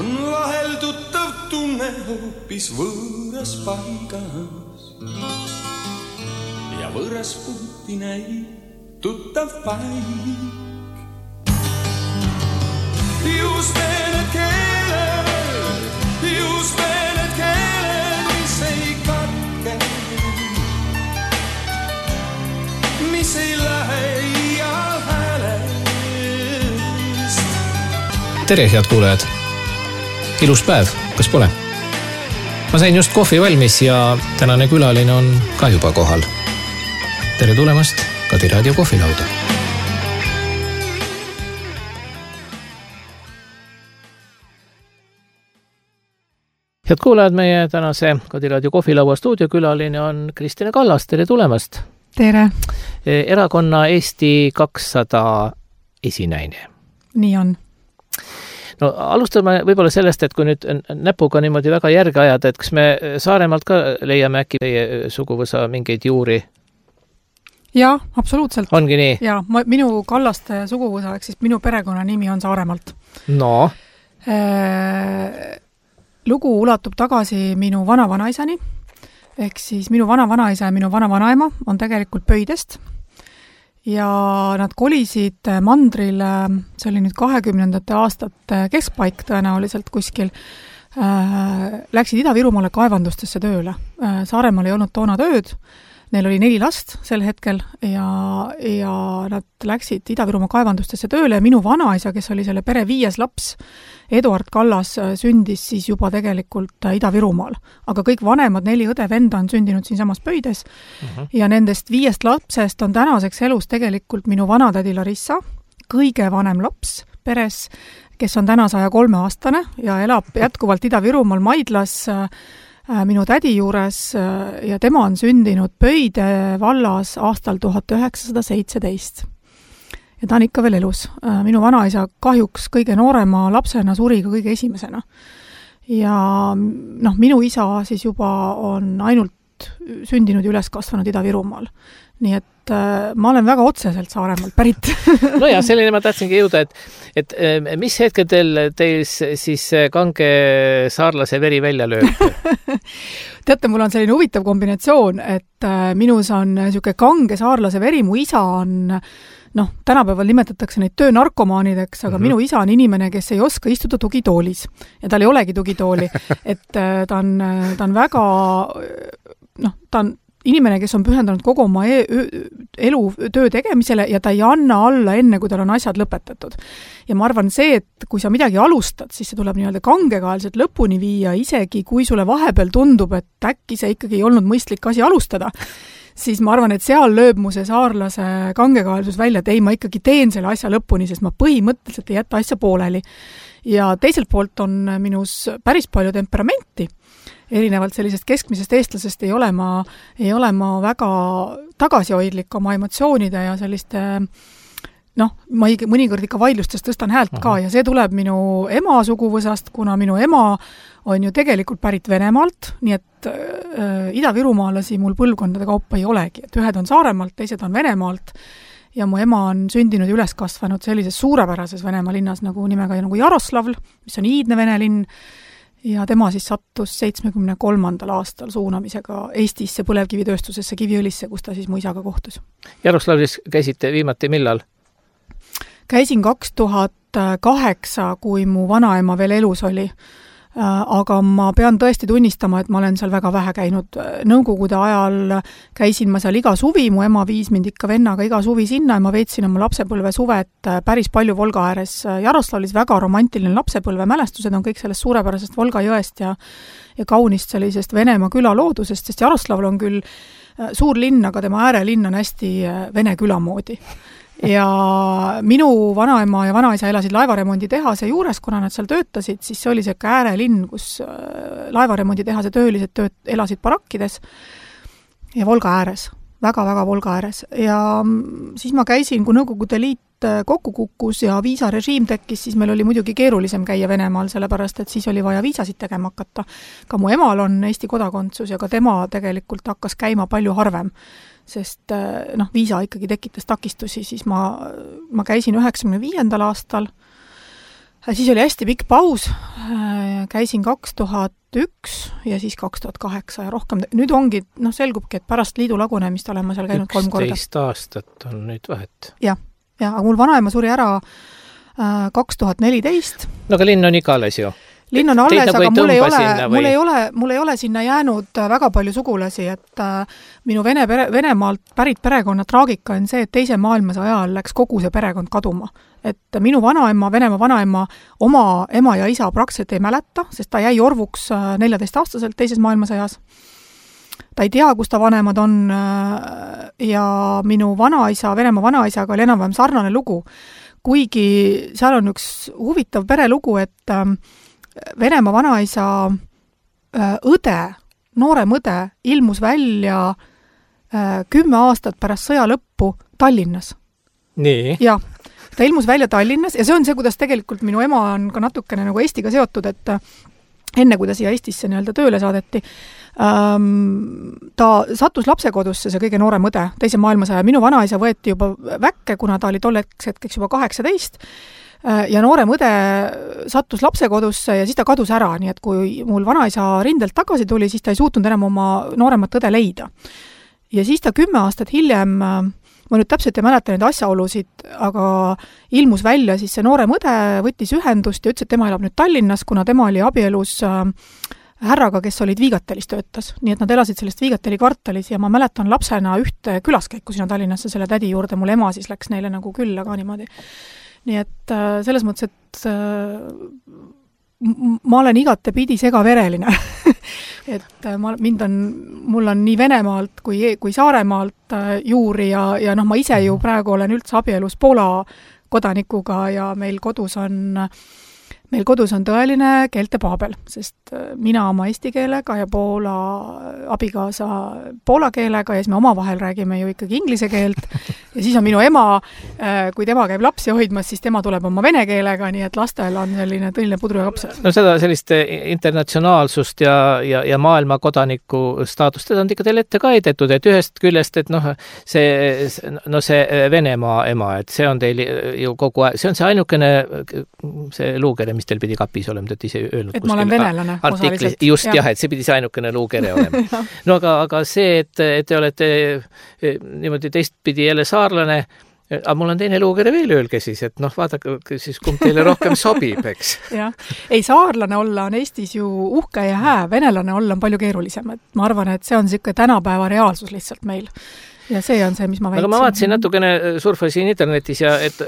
on vahel tuttav tunne hoopis võõras paigas ja võõras puuti näib tuttav paik. Just need keeled, mis ei katke, mis ei lähe iial häälest. Tere, head kuulajad! Ilus päev, kas pole? Ma sain just kohvi valmis ja tänane külaline on ka juba kohal. Tere tulemast Kadi Raadio kohvilauda. Head kuulajad, meie tänase Kadi Raadio kohvilaua stuudiokülaline on Kristine Kallas. Tere tulemast! Tere! Erakonna Eesti 200 esinäine. Nii on. No alustame võib-olla sellest, et kui nüüd näpuga niimoodi väga järge ajada, et kas me Saaremaalt ka leiame äkki teie suguvõsa mingeid juuri? Jaa, absoluutselt. Ongi nii? Jaa, minu Kallaste suguvõsa, ehk siis minu perekonna nimi on Saaremaalt. No? Lugu ulatub tagasi minu vanavanaisani, ehk siis minu vanavanaisa ja minu vanavanaema on tegelikult Pöidest. Ja nad kolisid mandrile, see oli nüüd 20. aastate keskpaik tõenäoliselt kuskil, läksid Ida-Virumaale kaevandustesse tööle. Saaremaal ei olnud toona tööd, neil oli 4 last sel hetkel ja nad läksid Ida-Virumaa kaevandustesse tööle ja minu vanaisa, kes oli selle pere 5. laps, Eduard Kallas, sündis siis juba tegelikult Ida-Virumaal. Aga kõik vanemad 4 õde-venda on sündinud siinsamas Pöides ja nendest 5 lapsest on tänaseks elus tegelikult minu vanatädi Larissa, kõige vanem laps peres, kes on täna 103-aastane ja elab jätkuvalt Ida-Virumaal Maidlas minu tädi juures ja tema on sündinud Pöide vallas aastal 1917. Ja ta on ikka veel elus. Minu vanaisa kahjuks kõige noorema lapsena suri ka kõige esimesena. Ja minu isa siis juba on ainult sündinud ja üles kasvanud Ida-Virumaal. Nii et ma olen väga otseselt Saaremaalt pärit. No ja selline ma tahtsingi jõuda, et mis hetkedel teil siis kange saarlase veri välja lööb? Teate, mul on selline huvitav kombinatsioon, et minus on niisugune kange saarlase veri, mu isa on tänapäeval nimetatakse neid töönarkomaanideks, aga minu isa on inimene, kes ei oska istuda tugitoolis. Ja tal ei olegi tugitooli. Et ta on väga, ta on inimene, kes on pühendanud kogu oma elu töö tegemisele ja ta ei anna alla enne, kui tal on asjad lõpetatud. Ja ma arvan see, et kui sa midagi alustad, siis see tuleb nii-öelda kangekaelselt lõpuni viia, isegi kui sulle vahepeal tundub, et äkki see ikkagi ei olnud mõistlik asi alustada, siis ma arvan, et seal lööb mu see saarlase kangekaelsus välja, et ei, ma ikkagi teen selle asja lõpuni, sest ma põhimõtteliselt ei jätta asja pooleli. Ja teiselt poolt on minus päris palju temperamenti. Erinevalt sellisest keskmisest eestlasest ei ole ma väga tagasihoidlik oma emotsioonide ja selliste, ma mõnikord ikka vaidlustes tõstan häält ka ja see tuleb minu ema suguvõsast, kuna minu ema on ju tegelikult pärit Venemaalt, nii et Ida-Virumaalasi mul põlvkondade kaupa ei olegi, et ühed on Saaremaalt, teised on Venemaalt ja mu ema on sündinud ja üles kasvanud sellises suurepärases Venemaa linnas nagu nimega nagu Jaroslavl, mis on iidne vene linn ja tema siis sattus 73. aastal suunamisega Eestisse põlevkivitööstusesse Kiviõlisse, kus ta siis mu isaga kohtus. Jaroslavlis käisite viimati millal? Käisin 2008, kui mu vanaema veel elus oli. Aga ma pean tõesti tunnistama, et ma olen seal väga vähe käinud. Nõukogude ajal käisin ma seal iga suvi, mu ema viis mind ikka vennaga iga suvi sinna ja ma veetsin oma lapsepõlve suvet päris palju Volga ääres. Jaroslavlis väga romantiline lapsepõlve mälestused on kõik sellest suurepärasest Volga jõest ja kaunist sellisest Venemaa küla loodusest, sest Jaroslavl on küll suur linn, aga tema äärelinn on hästi vene küla moodi. Ja minu vanaema ja vanaisa elasid laevaremondi tehase juures, kuna nad seal töötasid, siis see oli see äärelinn, kus laevaremondi tehase töölised elasid barakkides ja Volga ääres, väga-väga Volga ääres. Ja siis ma käisin, kui Nõukogude Liit kokku kukkus ja viisarežiim tekkis, siis meil oli muidugi keerulisem käia Venemaal, sellepärast, et siis oli vaja viisasid tegema hakata. Ka mu emal on Eesti kodakondsus ja ka tema tegelikult hakkas käima palju harvem, sest viisa ikkagi tekitas takistusi, siis ma käisin 95. aastal Siis oli hästi pikk paus, käisin 2001 ja siis 2008 ja rohkem, nüüd ongi, selgubki, et pärast liidu lagunemist olen ma seal käinud 3 korda. 11 aastat on nüüd vahet. Ja, aga mul vanaema suri ära 2014. No aga linn on ikka alles ju. Linn on alles, aga mul ei ole sinna jäänud väga palju sugulasi, et minu Venemaalt pärit perekonna traagika on see, et teise maailmasõja ajal läks kogu see perekond kaduma. Et minu vanaema, Venemaa vanaema, oma ema ja isa praktiliselt ei mäleta, sest ta jäi orvuks 14-aastaselt teises maailmasõjas. Ta ei tea, kus ta vanemad on ja minu vanaisa, Venemaa vanaisaga oli enam-vähem sarnane lugu. Kuigi seal on üks huvitav perelugu, et Venemaa vanaisa õde, noorem õde, ilmus välja 10 aastat pärast sõja lõppu Tallinnas. Nii? Ja, ta ilmus välja Tallinnas ja see on see, kuidas tegelikult minu ema on ka natukene nagu Eestiga seotud, et enne, kui ta siia Eestisse nii-öelda tööle saadeti, ta sattus lapsekodusse, see kõige noorem õde, teise maailmasõja. Minu vanaisa võeti juba väkke, kuna ta oli tolleks hetkeks juba 18 ja noorem õde sattus lapsekodusse ja siis ta kadus ära, nii et kui mul vanaisa rindelt tagasi tuli, siis ta ei suutnud enam oma nooremat õde leida. Ja siis ta 10 aastat hiljem, ma nüüd täpselt ei mäleta neid asjaolusid, aga ilmus välja siis see noorem õde, võttis ühendust ja ütles, et tema elab nüüd Tallinnas, kuna tema oli abielus härraga, kes olid Viigatelis töötas. Nii et nad elasid sellest Viigateli kvartalis ja ma mäletan lapsena ühte külaskäiku sinna Tallinnasse selle tädi juurde, mul ema siis läks neile nagu külla ka niimoodi. Nii et selles mõttes, et ma olen igatepidi segavereline. Et mul on nii Venemaalt kui Saaremaalt juuri ja ma ise ju praegu olen üldse abielus Poola kodanikuga ja meil kodus on tõeline keeltepaabel, sest mina oma eesti keelega ja Poola abikaasa poola keelega ja siis me omavahel räägime ju ikkagi inglise keelt ja siis on minu ema, kui tema käib lapsi hoidmas, siis tema tuleb oma vene keelega, nii et lastel on selline tõeline pudru ja kapsad. No seda sellist internatsionaalsust ja maailma kodaniku staatust, seda on ikka teil ette ka heidetud, et ühest küljest, et see Venemaa ema, et see on teil ju kogu aeg, see on see ainukene see luukere, mis teil pidi kapis olema, te ise öelnud. Et ma olen venelane osaliselt. Just jah, et see pidi see ainukene luukere olema. No aga see, et te olete niimoodi teistpidi jälle saarlane, aga mul on teine luukere veel öelge siis, et vaadake siis, kumb teile rohkem sobib, eks. Jah. Ei, saarlane olla on Eestis ju uhke ja hää, venelane olla on palju keerulisem. Et ma arvan, et see on siuke tänapäeva reaalsus lihtsalt meil. Ja see on see, mis ma väitsin. Aga ma vaatasin natukene surfasin internetis ja et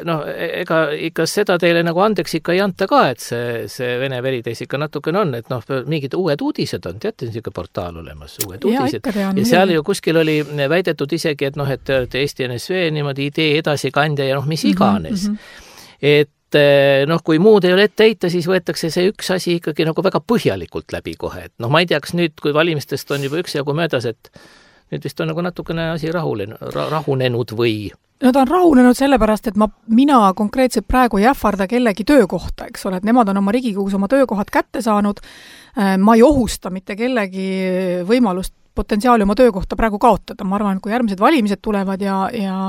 ega ikka seda teile nagu andeks ikka ei anta ka, et see vene veri teis ikka natukene on, et mingid uued uudised on, teate, niisugune portaal olemas, uued uudised. Ja seal ju kuskil oli väidetud isegi, et te olete Eesti NSV niimoodi idee edasikandja ja mis iganes. Et kui muud ei ole ette heita, siis võetakse see üks asi ikkagi nagu väga põhjalikult läbi kohe. Et ma ei tea, kas nüüd, kui valimistest on juba üksjagu möödas, et nüüd vist on nagu natukene asi rahunenud või? No ta on rahunenud sellepärast, et mina konkreetselt praegu ei ähvarda kellegi töökohta, eks ole, et nemad on oma Riigikogus oma töökohad kätte saanud. Ma ei ohusta mitte kellegi võimalust potentsiaali oma töökohta praegu kaotada. Ma arvan, et kui järgmised valimised tulevad ja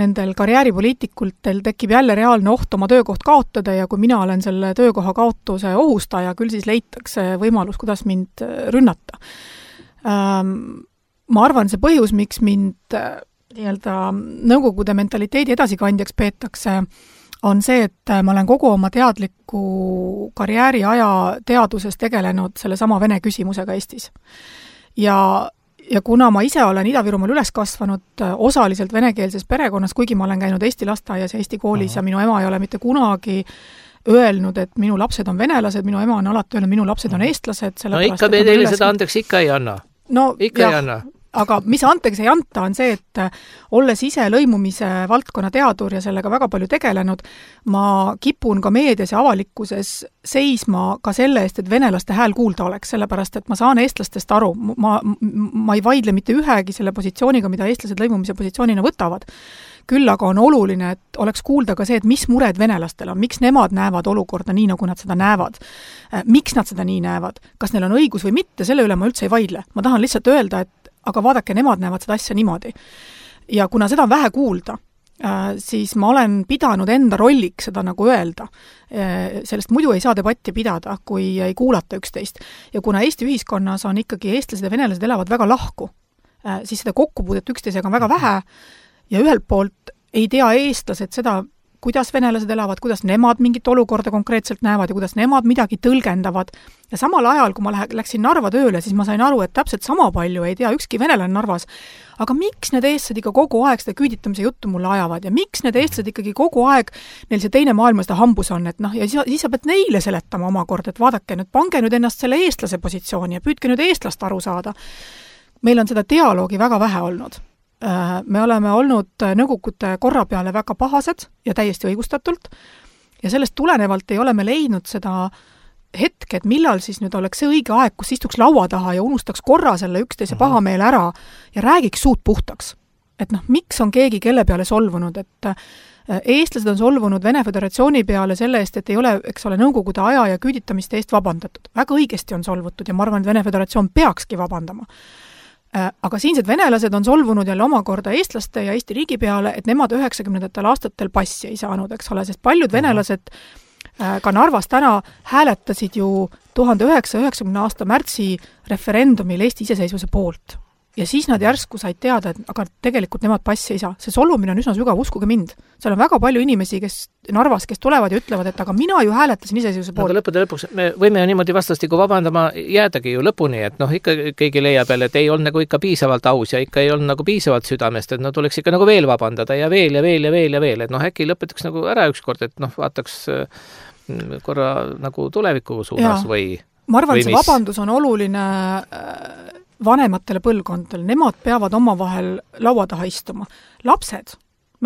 nendel karjääripoliitikultel tekib jälle reaalne oht oma töökoht kaotada ja kui mina olen selle töökoha kaotuse ohustaja, küll siis leitakse võimalus, kuidas mind rünnata. Ma arvan, see põhjus, miks mind nõukogude mentaliteedi edasikandjaks peetakse, on see, et ma olen kogu oma teadliku karjääri aja teaduses tegelenud selle sama vene küsimusega Eestis. Ja kuna ma ise olen Ida-Virumaal üles kasvanud osaliselt venekeelses perekonnas, kuigi ma olen käinud Eesti lasteaias ja Eesti koolis ja minu ema ei ole mitte kunagi öelnud, et minu lapsed on venelased, minu ema on alati öelnud, minu lapsed on eestlased. No ikka me teile seda andeks ikka ei anna. Ikka ei anna. Aga mis anteks ei anta, on see, et olles ise lõimumise valdkonna teadur ja sellega väga palju tegelenud, ma kipun ka meedias ja avalikkuses seisma ka selle eest, et venelaste hääl kuulda oleks, sellepärast, et ma saan eestlastest aru. Ma ei vaidle mitte ühegi selle positsiooniga, mida eestlased lõimumise positsioonina võtavad. Küll aga on oluline, et oleks kuulda ka see, et mis mured venelastel on, miks nemad näevad olukorda nii, nagu nad seda näevad. Miks nad seda nii näevad? Kas neil on õigus või mitte, selle üle ma üldse ei vaidle. Ma tahan lihtsalt öelda, et aga vaadake, nemad näevad seda asja niimoodi. Ja kuna seda on vähe kuulda, siis ma olen pidanud enda rolliks seda nagu öelda. Sellest muidu ei saa debatti pidada, kui ei kuulata üksteist. Ja kuna Eesti ühiskonnas on ikkagi eestlased ja venelased elavad väga lahku, siis seda kokkupuudet üksteisega on väga vähe ja ühelt poolt ei tea eestlased seda, kuidas venelased elavad, kuidas nemad mingit olukorda konkreetselt näevad ja kuidas nemad midagi tõlgendavad. Ja samal ajal, kui ma läksin Narva tööle, siis ma sain aru, et täpselt sama palju ei tea ükski venelane Narvas. Aga miks need eestlased ikka kogu aeg seda küüditamise juttu mulle ajavad ja miks need eestlased ikkagi kogu aeg neil see teine maailmasõda hambus on, et ja siis sa pead neile seletama omakorda, et vaadake nüüd, pange nüüd ennast selle eestlase positsiooni ja püüdke nüüd eestlast aru saada. Meil on seda dialoogi väga vähe olnud. Me oleme olnud nõukogude korra peale väga pahased ja täiesti õigustatult ja sellest tulenevalt ei ole me leidnud seda hetke, et millal siis nüüd oleks see õige aeg, kus istuks laua taha ja unustaks korra selle üksteise pahameele ära ja räägiks suud puhtaks. Et miks on keegi kelle peale solvunud, et eestlased on solvunud Vene Föderatsiooni peale selle eest, et ei ole, eks ole, nõukogude aja ja küüditamiste eest vabandatud. Väga õigesti on solvutud ja ma arvan, et Vene Föderatsioon peakski vabandama. Aga siinsed venelased on solvunud jälle omakorda eestlaste ja Eesti riigi peale, et nemad 90. aastatel passi ei saanud, eks ole, sest paljud venelased ka Narvas täna hääletasid ju 1990. aasta märtsi referendumil Eesti iseseisvuse poolt. Ja siis nad järsku said teada, et aga tegelikult nemad passi ei saa. See solvumine on üsna sügav, uskuge mind. Seal on väga palju inimesi, kes Narvas, kes tulevad ja ütlevad, et aga mina ju hääletasin iseseisvuse poolt. Aga lõpuks me võime ju niimoodi vastastiku vabandama jäädagi ju lõpuni, et ikka keegi leiab jälle, et ei olnud nagu ikka piisavalt aus ja ikka ei olnud nagu piisavalt südamest, et tuleks ikka nagu veel vabandada ja veel ja veel ja veel ja veel, et äkki lõpetaks nagu ära ükskord, et vaataks korra nagu tuleviku suunas või ma arvan, et see vabandus on oluline vanematele põlvkondadele, nemad peavad omavahel laua taha istuma. Lapsed,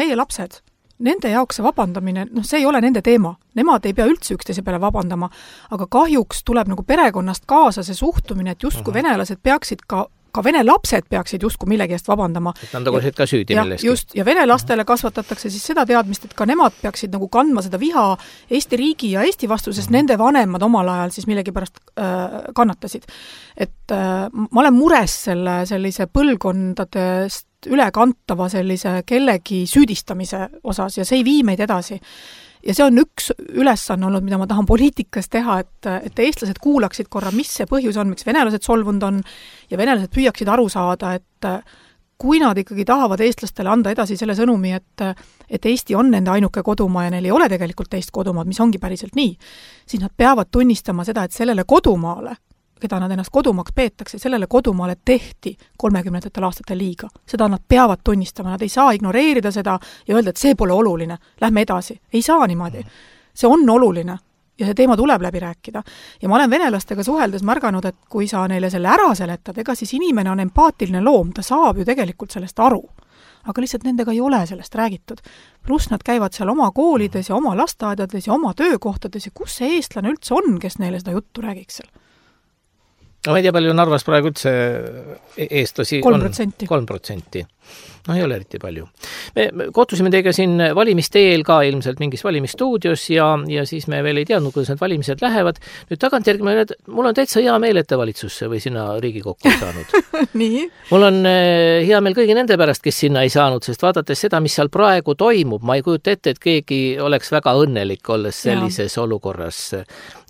meie lapsed, nende jaoks see vabandamine, see ei ole nende teema. Nemad ei pea üldse üksteise peale vabandama, aga kahjuks tuleb nagu perekonnast kaasa see suhtumine, et justkui venelased peaksid ka vene lapsed peaksid justkui millegi eest vabandama. Et nad oleksid ka süüdi milleski. Just, ja vene lastele kasvatatakse siis seda teadmist, et ka nemad peaksid nagu kandma seda viha Eesti riigi ja Eesti vastu, sest nende vanemad omal ajal siis millegi pärast kannatasid. Et ma olen mures sellise põlvkondadest ülekantava sellise kellegi süüdistamise osas ja see ei vii meid edasi. Ja see on üks ülesanne olnud, mida ma tahan poliitikas teha, et eestlased kuulaksid korra, mis see põhjus on, miks venelased solvunud on ja venelased püüaksid aru saada, et kui nad ikkagi tahavad eestlastele anda edasi selle sõnumi, et Eesti on nende ainuke kodumaa ja neil ei ole tegelikult teist kodumaad, mis ongi päriselt nii, siis nad peavad tunnistama seda, et sellele kodumaale, keda nad ennast kodumaks peetakse, sellele kodumaale tehti 30. aastatel liiga. Seda nad peavad tunnistama, nad ei saa ignoreerida seda ja öelda, et see pole oluline, lähme edasi. Ei saa niimoodi. See on oluline ja see teema tuleb läbi rääkida. Ja ma olen venelastega suheldes märganud, et kui sa neile selle ära seletad, ega siis inimene on empaatiline loom, ta saab ju tegelikult sellest aru. Aga lihtsalt nendega ei ole sellest räägitud. Pluss nad käivad seal oma koolides ja oma lasteaedades ja oma töökohtades ja kus see eestlane üldse on, kes neile seda juttu räägiks seal? No ma ei tea, palju Narvas praegu üldse eestlasi 3%. On 3%. No ei ole eriti palju. Me kohtusime teiega siin valimiste eel ka ilmselt mingis valimisstuudios ja siis me veel ei teadnud, kuidas need valimised lähevad. Nüüd tagantjärgi mul on täitsa hea meel, et te valitsusse või sinna Riigikokku ei saanud. Nii? Mul on hea meel kõigi nende pärast, kes sinna ei saanud, sest vaadates seda, mis seal praegu toimub, ma ei kujuta ette, et keegi oleks väga õnnelik olles sellises olukorras.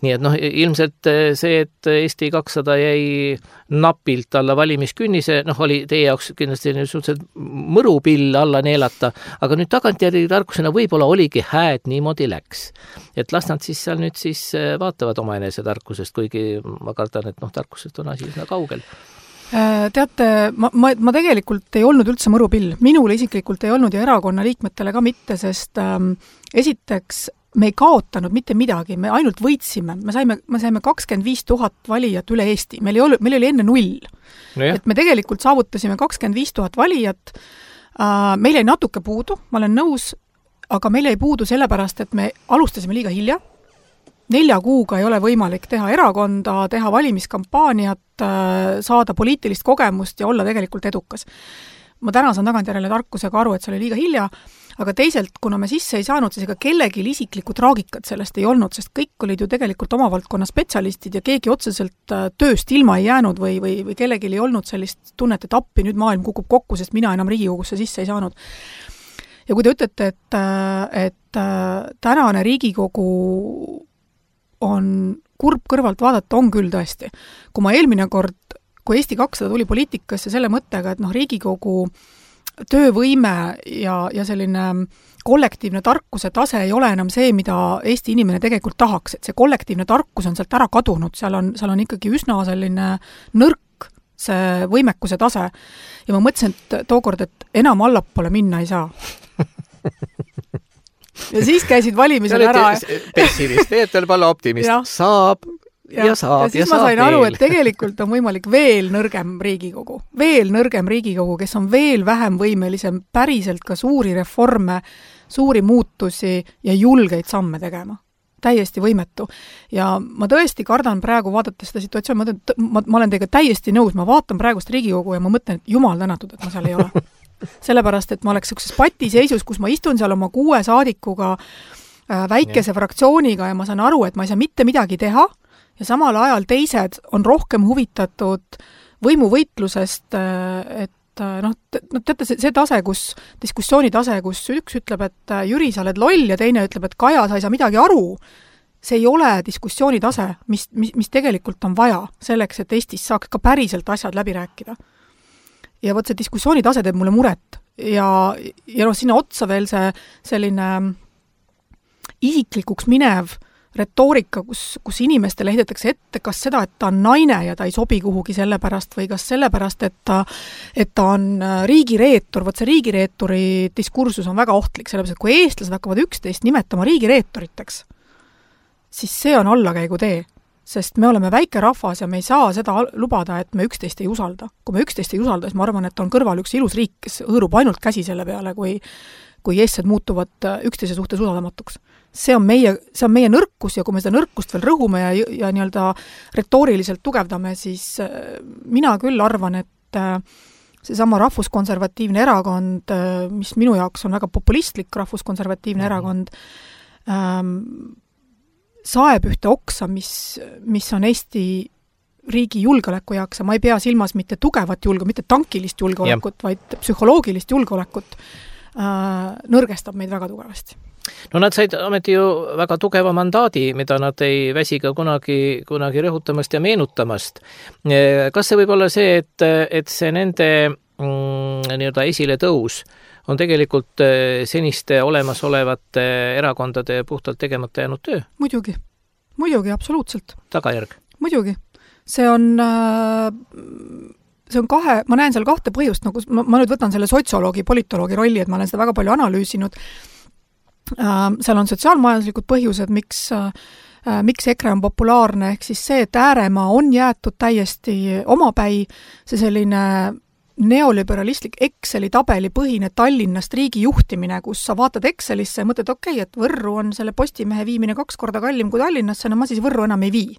Nii et ilmselt see, et Eesti 200 jäi napilt alla valimiskünnise, oli teie jaoks kindlasti suhteliselt mõrupill alla neelata, aga nüüd tagantjärgi tarkusena võib-olla oligi hääd niimoodi läks. Et las nad siis seal nüüd siis vaatavad oma enese tarkusest, kuigi ma kardan, et tarkusest on asi üsna kaugel. Teate, ma tegelikult ei olnud üldse mõrupill. Minule isiklikult ei olnud ja erakonna liikmetele ka mitte, sest esiteks me ei kaotanud mitte midagi, me ainult võitsime. Me saime 25 000 valijat üle Eesti. Meil oli enne 0. No et me tegelikult saavutasime 25 000 valijat. Meil jäi natuke puudu, ma olen nõus, aga meil jäi puudu sellepärast, et me alustasime liiga hilja. 4 kuuga ei ole võimalik teha erakonda, teha valimiskampaaniat, saada poliitilist kogemust ja olla tegelikult edukas. Ma täna saan tagantjärele tarkusega aru, et see oli liiga hilja, aga teisalt, kuna me sisse ei saanud, siis ega kellegi isiklikku traagikat sellest ei olnud, sest kõik olid ju tegelikult oma valdkonna spetsialistid ja keegi otseselt tööst ilma ei jäänud või kellegi ei olnud sellist tunnet, et appi nüüd maailm kukub kokku, sest mina enam Riigikogusse sisse ei saanud. ja kui te ütlete, et tänane Riigikogu on kurb kõrvalt vaadata, on küll tõesti. Kui ma eelmine kord, kui Eesti 200 tuli poliitikasse selle mõttega, et Riigikogu töövõime ja selline kollektiivne tarkuse tase ei ole enam see, mida Eesti inimene tegelikult tahaks, et see kollektiivne tarkus on sealt ära kadunud, seal on ikkagi üsna selline nõrk see võimekuse tase. Ja ma mõtlesin, et tookord, et enam allapoole minna ei saa. Ja siis käisid valimisel ära. Pessimist, teetel pala optimist. Saab ja saab. Ja siis ma sain aru, et tegelikult on võimalik veel nõrgem Riigikogu, kes on veel vähem võimelisem päriselt ka suuri reforme, suuri muutusi ja julgeid samme tegema. Täiesti võimetu. Ja ma tõesti kardan praegu vaadates seda situatsiooni, ma olen teiega täiesti nõus, ma vaatan praegust Riigikogu ja ma mõtlen, et jumal tänatud, et ma seal ei ole. Sellepärast, et ma oleks sellises patiseisus, kus ma istun seal oma 6 saadikuga, väikese fraktsiooniga ja ma saan aru, et ma ei saa mitte midagi teha ja samal ajal teised on rohkem huvitatud võimuvõitlusest, et teate, see tase, diskussiooni tase, kus üks ütleb, et Jüri, sa oled loll ja teine ütleb, et Kaja, sa ei saa midagi aru, see ei ole diskussiooni tase, mis tegelikult on vaja selleks, et Eestis saaks ka päriselt asjad läbi rääkida. Ja võt see diskussiooni tase teeb mulle muret ja sinna otsa veel see selline isiklikuks minev retoorika, kus inimestele heidetakse ette kas seda, et ta on naine ja ta ei sobi kuhugi sellepärast või kas sellepärast, et ta on riigireetur. Võt see riigireeturi diskursus on väga ohtlik, sellepärast, et kui eestlased hakkavad üksteist nimetama riigireetoriteks, siis see on allakäigu tee. Sest me oleme väike rahvas ja me ei saa seda lubada, et me üksteist ei usalda. Kui me üksteist ei usalda, siis ma arvan, et on kõrval üks ilus riik, kes hõõrub ainult käsi selle peale, kui eestsed muutuvad üksteise suhtes usaldamatuks. See on meie nõrkus ja kui me seda nõrkust veel rõhume ja nii-öelda retooriliselt tugevdame, siis mina küll arvan, et seesama rahvuskonservatiivne erakond, mis minu jaoks on väga populistlik rahvuskonservatiivne erakond, saeb ühte oksa, mis on Eesti riigi julgeoleku jaoks ja ma ei pea silmas mitte tugevat mitte tankilist julgeolekut, vaid psühholoogilist julgeolekut, nõrgestab meid väga tugevasti. No nad said ometi ju väga tugeva mandaadi, mida nad ei väsi ka kunagi rõhutamast ja meenutamast. Kas see võib olla see, et see nende nii-öelda esile tõus on tegelikult seniste olemasolevate erakondade puhtalt tegemata jäänud töö? Muidugi, absoluutselt. Tagajärg? Muidugi. See on ma näen seal 2 põhjust, ma nüüd võtan selle sotsioloogi, politoloogi rolli, et ma olen seda väga palju analüüsinud. Seal on sotsiaalmajanduslikud põhjused, miks EKRE on populaarne, ehk siis see, et ääremaa on jäetud täiesti omapäi, see selline neoliberalistlik Exceli tabeli põhine Tallinnast riigi juhtimine, kus sa vaatad Excelisse ja mõtled, et Võrru on selle Postimehe viimine 2 korda kallim kui Tallinnasse, no ma siis Võrru enam ei vii.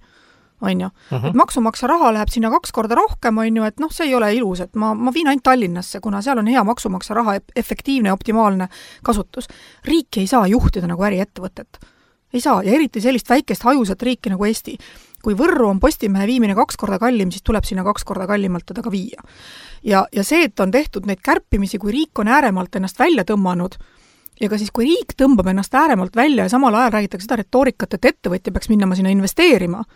On ju. Et maksumaksja raha läheb sinna 2 korda rohkem, on ju, et see ei ole ilus, et ma viin ainult Tallinnasse, kuna seal on hea maksumaksja raha efektiivne ja optimaalne kasutus. Riik ei saa juhtida nagu äriettevõtet. Ei saa, ja eriti sellist väikest hajusat riiki nagu Eesti. Kui Võrru on Postimehe viimine 2 korda kallim, siis tuleb sinna 2 korda kallimalt teda ka viia. Ja see, et on tehtud neid kärpimisi, kui riik on ääremalt ennast välja tõmmanud, ja ka siis, kui riik tõmbab ennast ääremalt välja ja samal ajal räägitakse seda retoorikat, et ettevõtja peaks minema sinna investeerima,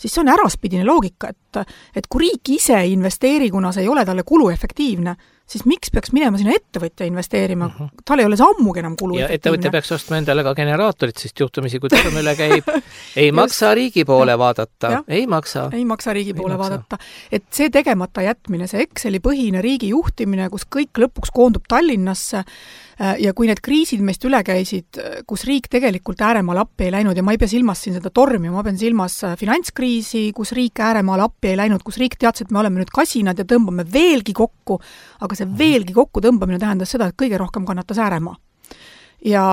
siis see on äraspidine loogika, et kui riik ise ei investeeri, kuna see ei ole talle kuluefektiivne, siis miks peaks minema sinna ettevõtja investeerima? Tal ei ole see ammugi enam kuluefektiivne. Ja ettevõtja peaks ostma endale ka generaatorit, sest juhtumisi, kui Tõrmele käib, ei maksa riigi poole vaadata. Ei maksa riigi poole vaadata. Et see tegemata jätmine, see Exceli põhine riigi juhtimine, kus kõik lõpuks koondub Tallinnasse ja kui need kriisid meist üle käisid, kus riik tegelikult ääremaal appi ei läinud ja ma ei pea silmas siin seda tormi, ma pean silmas finantskriisi, kus riik ääremaal appi ei läinud, kus riik teadis, et me oleme nüüd kasinad ja tõmbame veelgi kokku, aga see veelgi kokku tõmbamine tähendas seda, et kõige rohkem kannatas ääremaa. Ja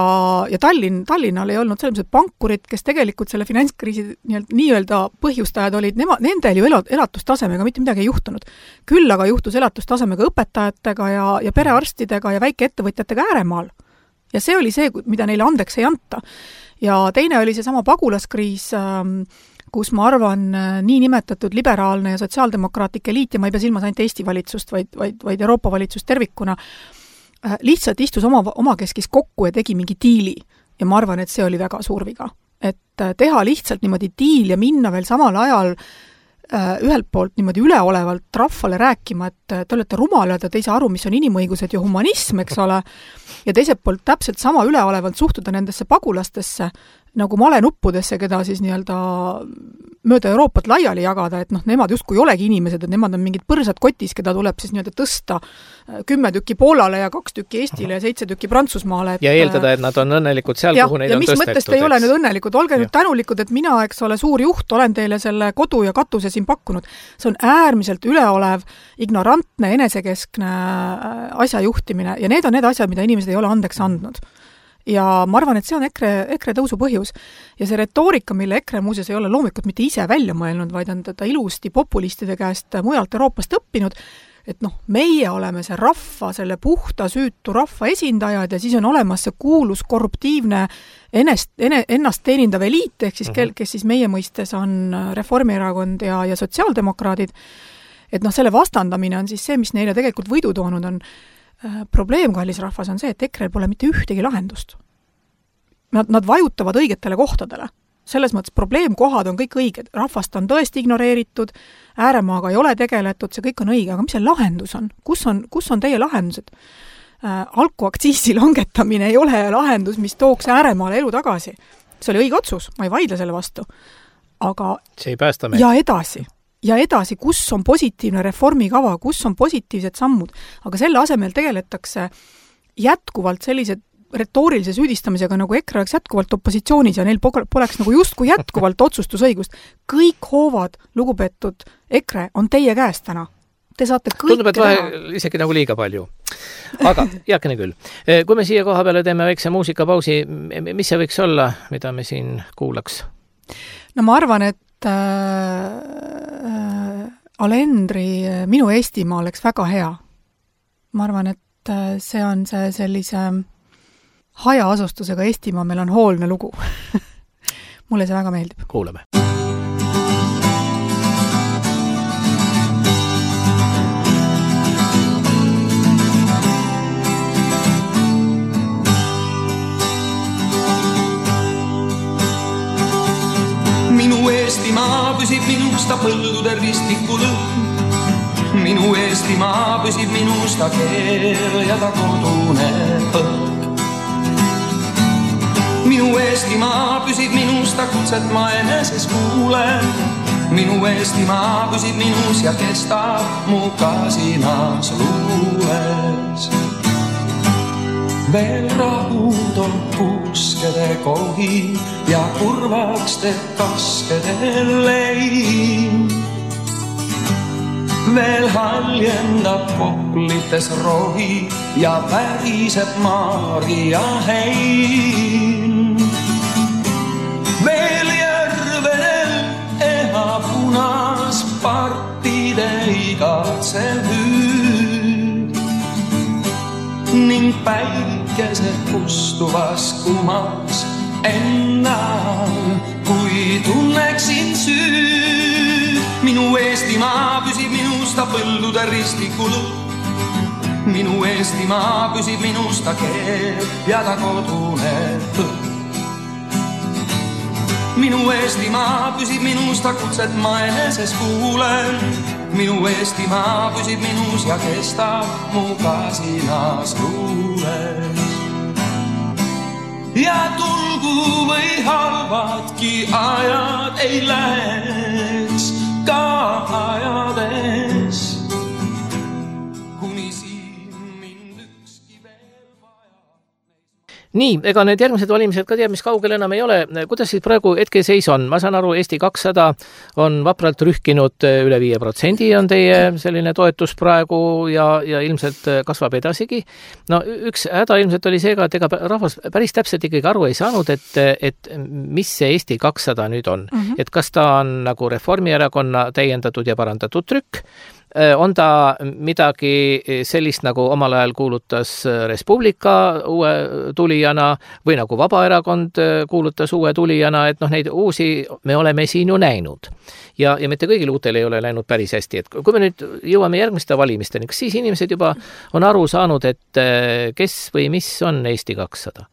Tallinnal ei olnud selles pankurid, kes tegelikult selle finantskriisi nii-öelda põhjustajad olid, nendel ju elatustasemega mitte midagi ei juhtunud. Küll aga juhtus elatustasemega õpetajatega ja perearstidega ja väikeettevõtjatega ääremaal. Ja see oli see, mida neile andeks ei anta. Ja teine oli see sama pagulaskriis, kus ma arvan nii nimetatud liberaalne ja sotsiaaldemokraatlik eliit, ja ma ei pea silmas ainult Eesti valitsust, vaid Euroopa valitsust tervikuna, lihtsalt istus omakeskis kokku ja tegi mingi diili. Ja ma arvan, et see oli väga suur viga. Et teha lihtsalt niimoodi diil ja minna veel samal ajal ühelt poolt niimoodi üleolevalt rahvale rääkima, et te olete rumalad ja te ei saa aru, mis on inimõigused ja humanism, eks ole, ja teiselt poolt täpselt sama üleolevalt suhtuda nendesse pagulastesse, nagu malenuppudesse, keda siis nii-öelda mööda Euroopat laiali jagada, et nemad justkui ei olegi inimesed, et nemad on mingid põrsad kotis, keda tuleb siis nii-öelda tõsta 10 tükki Poolale ja 2 tükki Eestile ja 7 tükki Prantsusmaale. Ja eeldada, et nad on õnnelikud seal, kuhu neid on tõstetud. Ja mis mõttest ei ole nüüd õnnelikud? Olge nüüd tänulikud, et mina, eks ole, suur juht, olen teile selle kodu ja katuse siin pakkunud. See on äärmiselt üleolev, ignorantne, enesekeskne asja juhtimine ja need on need asjad, mida inimesed ei ole andeks andnud. Ja ma arvan, et see on EKRE tõusu põhjus. Ja see retoorika, mille EKRE muuseas ei ole loomulikult mitte ise välja mõelnud, vaid on teda ilusti populistide käest mujalt Euroopast õppinud, et meie oleme see rahva, selle puhta süütu rahva esindajad ja siis on olemas see kuulus korruptiivne ennast teenindav eliit, ehk siis kes siis meie mõistes on Reformierakond ja sotsiaaldemokraadid. Et selle vastandamine on siis see, mis neile tegelikult võidu toonud on. Probleem, kallis rahvas, on see, et EKRE pole mitte ühtegi lahendust. Nad vajutavad õigetele kohtadele. Selles mõttes probleemkohad on kõik õiged. Rahvast on tõesti ignoreeritud, ääremaaga ei ole tegeletud, see kõik on õige, aga mis see lahendus on? Kus on teie lahendused? Alkoaktsiisi langetamine ei ole lahendus, mis tooks ääremaale elu tagasi. See oli õige otsus, ma ei vaidle selle vastu. Aga see ei päästa meid. Ja edasi, kus on positiivne reformikava, kus on positiivsed sammud, aga selle asemel tegeletakse jätkuvalt sellise retoorilise süüdistamisega, nagu EKRE oleks jätkuvalt opositsioonis ja neil poleks nagu justkui jätkuvalt otsustusõigust. Kõik hoovad, lugupeetud EKRE, on teie käest täna. Te saate kõik tundub, et vahel isegi nagu liiga palju. Aga heakene küll. Kui me siia koha peale teeme väikse muusikapausi, mis see võiks olla, mida me siin kuulaks? No ma arvan, et Alendri Minu Eestimaa oleks väga hea. Ma arvan, et see on see sellise hajaasustusega Eestimaa, meil on hoolne lugu. Mulle see väga meeldib. Kuulame. Minu Eestimaa püsib minusta põldude ristikul. Minu Eestimaa püsib minusta keel ja ta kodune põlg. Minu Eestimaa püsib minusta kutset ma eneses kuulen. Minu Eestimaa püsib minus ja kestab mu kasinas luules. Veel rahud on puskede kohi ja kurvaks teeb kaskede lein. Veel haljendab poplites rohi ja väriseb Maria hein. Veel järvedel eha punas partide igatsev hüüd ning päikese kustuvas kumas ennal, kui tunneksin süüd. Minu Eestimaa püsib minusta põldude ristikul. Minu Eestimaa püsib minusta keel ja ta kodune põld. Minu Eestimaa püsib minusta kutset ma eneses kuulen. Minu Eestimaa püsib minus ja kestab mu kasinas luules. Ja tulgu või halvadki ajad ei läheks ka ajades, kuni siin mind ükski veel vaja. Nii, ega need järgmised valimised ka teab, mis kaugel enam ei ole. Kuidas siis praegu hetkeseis on? Ma saan aru, Eesti 200 on vapralt rühkinud üle 5% on teie selline toetus praegu ja ilmselt kasvab edasigi. No üks häda ilmselt oli seega, et ega rahvas päris täpselt ikkagi aru ei saanud, et mis see Eesti 200 nüüd on. Et kas ta on nagu Reformierakonna täiendatud ja parandatud trükk on ta midagi sellist, nagu omal ajal kuulutas Res Publica uue tulijana või nagu Vabaerakond kuulutas uue tulijana, et noh, neid uusi me oleme siin ju näinud. Ja mitte kõigil uutel ei ole läinud päris hästi. Et kui me nüüd jõuame järgmiste valimisteni, kas siis inimesed juba on aru saanud, et kes või mis on Eesti 200?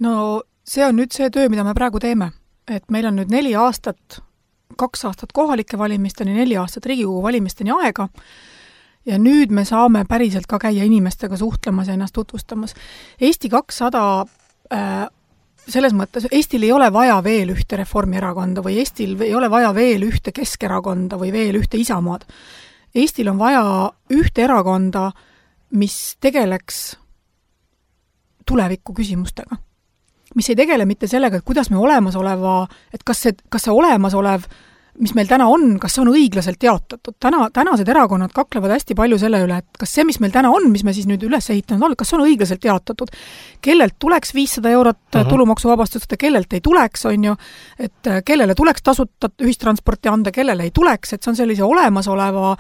No see on nüüd see töö, mida me praegu teeme. Et meil on nüüd 4 aastat 2 aastat kohalike valimisteni, 4 aastat Riigikogu valimisteni aega ja nüüd me saame päriselt ka käia inimestega suhtlemas ja ennast tutvustamas. Eesti 200 selles mõttes, Eestil ei ole vaja veel ühte Reformierakonda või Eestil ei ole vaja veel ühte Keskerakonda või veel ühte Isamaad. Eestil on vaja ühte erakonda, mis tegeleks tuleviku küsimustega. Mis ei tegele mitte sellega, et kuidas me olemasoleva, et kas see olemasolev, mis meil täna on, kas see on õiglaselt jaotatud. Tänased erakonnad kaklevad hästi palju selle üle, et kas see, mis meil täna on, mis me siis nüüd üles ehitanud on, kas see on õiglaselt jaotatud. Kellelt tuleks 500 eurot tulumaksuvabastust ja kellelt ei tuleks, on ju, et kellele tuleks tasuta ühistransporti anda, kellele ei tuleks, et see on sellise olemasoleva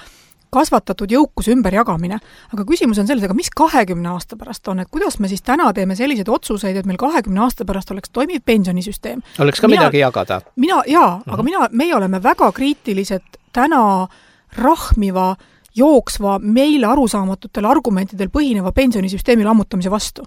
kasvatatud jõukus ümberjagamine. Aga küsimus on selles, aga mis 20 aasta pärast on, et kuidas me siis täna teeme selliseid otsuseid, et meil 20 aasta pärast oleks toimiv pensionisüsteem. Oleks ka midagi jagada. Aga meie oleme väga kriitilised täna rahmiva, jooksva, meile arusaamatutel argumentidel põhineva pensionisüsteemi lammutamise vastu.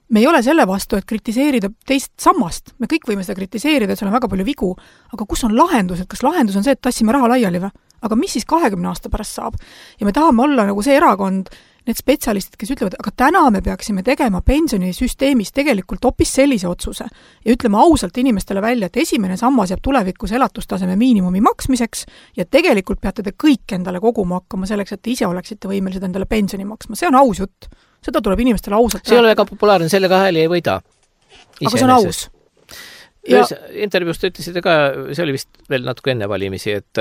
Me ei ole selle vastu, et kritiseerida teist sammast. Me kõik võime seda kritiseerida, et seal on väga palju vigu. Aga kus on lahendus? Et kas lahendus on see, et tassime raha laiali või? Aga mis siis 20 aasta pärast saab? Ja me tahame olla nagu see erakond, need spetsialistid, kes ütlevad, aga täna me peaksime tegema pensionisüsteemis tegelikult hoopis sellise otsuse ja ütleme ausalt inimestele välja, et esimene sammas jääb tulevikus elatustaseme miinimumi maksmiseks ja tegelikult peate te kõik endale koguma hakkama selleks, et te ise oleksite võimelised endale pensioni maksma. See on aus jutt. Seda tuleb inimestele ausalt. See ei ole väga populaarne, sellega hääli ei võida. Aga see on aus. Intervjuust ütlesite ka, see oli vist veel natuke enne valimisi, et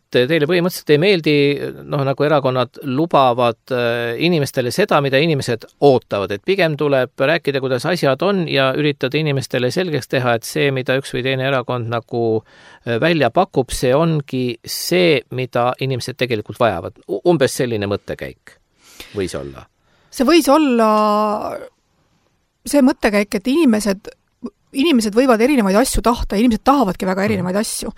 teile põhimõtteliselt ei meeldi, nagu erakonnad lubavad inimestele seda, mida inimesed ootavad, et pigem tuleb rääkida, kuidas asjad on ja üritada inimestele selgeks teha, et see, mida üks või teine erakond nagu välja pakub, see ongi see, mida inimesed tegelikult vajavad. Umbes selline mõttekäik võis olla. See võis olla see mõttekäik, et inimesed võivad erinevaid asju tahta, inimesed tahavadki väga erinevaid asju,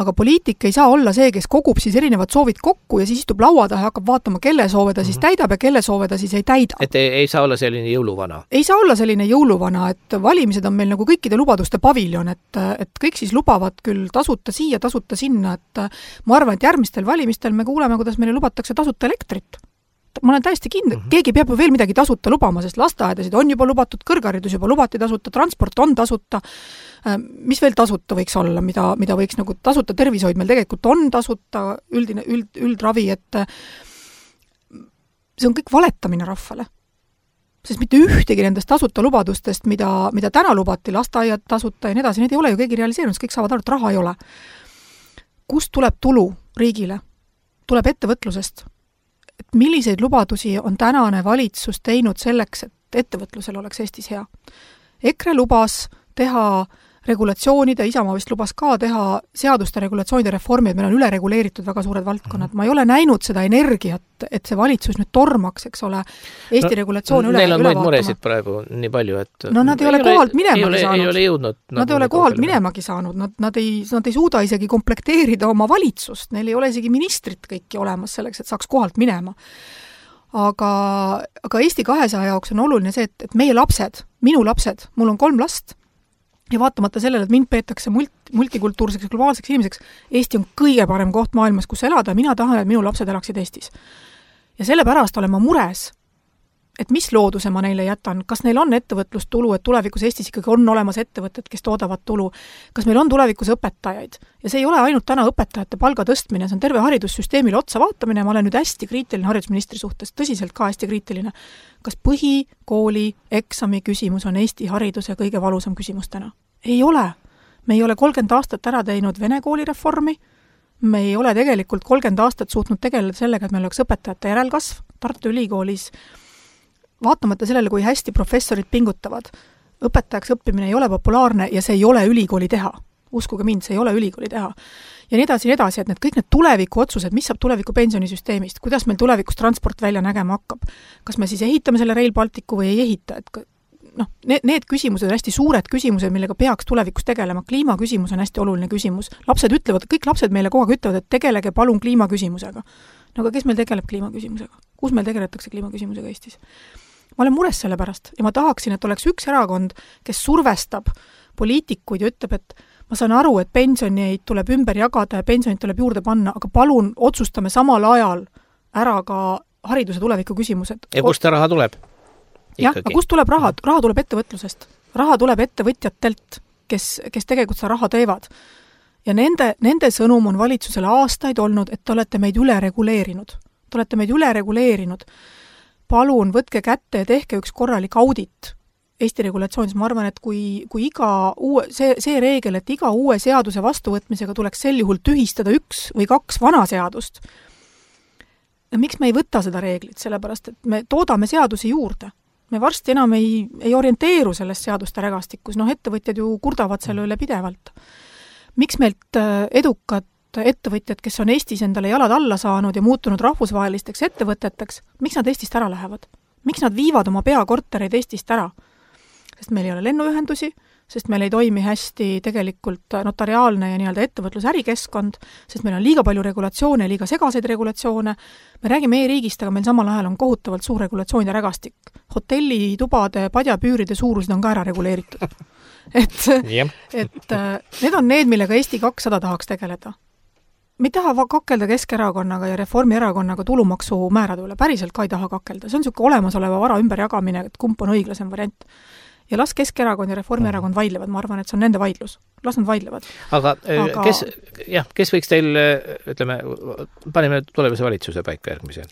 aga poliitik ei saa olla see, kes kogub siis erinevad soovid kokku ja siis istub laua taha ja hakkab vaatama, kelle soove ta siis täidab ja kelle soove ta siis ei täida. Et ei saa olla selline jõuluvana? Ei saa olla selline jõuluvana, et valimised on meil nagu kõikide lubaduste paviljon, et kõik siis lubavad küll tasuta siia, tasuta sinna, et ma arvan, et järgmistel valimistel me kuuleme, kuidas meile lubatakse tasuta elektrit. Ma olen täiesti kindel, keegi peab ju veel midagi tasuta lubama, sest lasteaedasid on juba lubatud, kõrgharidus juba lubati tasuta, transport on tasuta. Mis veel tasuta võiks olla, mida võiks nagu tasuta tervishoid meil tegelikult on tasuta, üldravi, et see on kõik valetamine rahvale. Sest mitte ühtegi nendest tasuta lubadustest, mida täna lubati, lasteaiad tasuta ja nii edasi, need ei ole ju keegi realiseerinud, kõik saavad aru, et raha ei ole. Kust tuleb tulu riigile? Tuleb ettevõtlusest. Et milliseid lubadusi on tänane valitsus teinud selleks, et ettevõtlusel oleks Eestis hea. EKRE lubas teha regulatsioonide, Isamaa vist lubas ka teha seaduste regulatsioonide reformi, et meil on ülereguleeritud väga suured valdkonnad. Ma ei ole näinud seda energiat, et see valitsus nüüd tormaks, eks ole, Eesti regulatsioon üle vaatama. Neil on muid muresid praegu nii palju, et... nad ei ole kohalt minemagi saanud. Ei ole jõudnud. Nad ei ole kohalt minemagi saanud. Nad ei suuda isegi komplekteerida oma valitsust. Neil ei ole isegi ministrit kõiki olemas selleks, et saaks kohalt minema. Aga Eesti 200 jaoks on oluline see, et meie lapsed, minu lapsed, mul on 3 last, ja vaatamata sellele, et mind peetakse multikultuurseks ja globaalseks inimeseks, Eesti on kõige parem koht maailmas, kus elada ja mina tahan, et minu lapsed elaksid Eestis. Ja sellepärast olen ma mures, et mis looduse ma neile jätan, kas neil on ettevõtlustulu, et tulevikus Eestis ikkagi on olemas ettevõtted, kes toodavad tulu, kas meil on tulevikus õpetajaid. Ja see ei ole ainult täna õpetajate palga tõstmine, see on terve haridussüsteemile otsa vaatamine, ma olen nüüd hästi kriitiline haridusministri suhtes, tõsiselt ka hästi kriitiline. Kas põhikooli eksami küsimus on Eesti hariduse kõige valusam küsimus täna? Ei ole. Me ei ole 30 aastat ära teinud vene koolireformi, me ei ole tegelikult 30 aastat suutnud tegeleda sellega, et meil oleks õpetajate järelkasv Tartu Ülikoolis. Vaatamata sellele, kui hästi professorid pingutavad, õpetajaks õppimine ei ole populaarne ja see ei ole ülikooli teha. Uskuge mind, see ei ole ülikooli teha. ja nii edasi, et kõik need tuleviku otsused, mis saab tuleviku pensionisüsteemist, kuidas meil tulevikus transport välja nägema hakkab, kas me siis ehitame selle Rail Balticu või ei ehita, et need küsimused on hästi suured küsimused, millega peaks tulevikus tegelema. Kliimaküsimus on hästi oluline küsimus. Kõik lapsed meile kogu aeg ütlevad, et tegelege palun kliimaküsimusega. No aga kes meil tegeleb kliimaküsimusega? Kus meil tegeletakse kliimaküsimusega Eestis? Ma olen mures selle pärast ja ma tahaksin, et oleks üks erakond, kes survestab poliitikuid ja ütleb, et ma saan aru, et pensioneid tuleb ümber jagada ja pensionid tuleb juurde panna, aga palun otsustame samal ajal ära ka hariduse tuleviku küsimused. Ja kust raha tuleb? Jah, aga kust tuleb raha? Raha tuleb ettevõtlusest. Raha tuleb ettevõtjatelt, kes tegelikult seda raha teevad. Ja nende sõnum on valitsusele aastaid olnud, et te olete meid üle reguleerinud. Palun võtke kätte ja tehke üks korralik audit Eesti regulatsioonis. Ma arvan, et kui see reegel, et iga uue seaduse vastuvõtmisega tuleks sel juhul tühistada 1 või 2 vana seadust, miks me ei võta seda reeglit? Sellepärast, et me toodame seadusi juurde. Me varsti enam ei orienteeru sellest seaduste rägastikus. Ettevõtjad ju kurdavad selle üle pidevalt. Miks meilt edukad ettevõtjad, kes on Eestis endale jalad alla saanud ja muutunud rahvusvahelisteks ettevõteteks, miks nad Eestist ära lähevad? Miks nad viivad oma peakortereid Eestist ära? Sest meil ei ole lennuühendusi, sest meil ei toimi hästi tegelikult notariaalne ja nii-öelda ettevõtlus-ärikeskkond, sest meil on liiga palju regulatsioone, liiga segaseid regulatsioone. Me räägime e-riigist, aga meil samal ajal on kohutavalt suur regulatsioonide rägastik. Hotellitubade, padjapüüride suurused on ka ära reguleeritud. et need on need, millega Eesti 200 tahaks tegeleda. Me ei taha kakelda Keskerakonnaga ja Reformierakonnaga tulumaksu määrade üle, päriselt ka ei taha kakelda. See on niisugune olemasoleva vara ümberjagamine, et kumb on õiglasem variant. Ja las Keskerakond ja Reformierakond vaidlevad, ma arvan, et see on nende vaidlus. Las nad vaidlevad. Aga kes võiks teil, ütleme, paneme tulevase valitsuse paika järgmisel.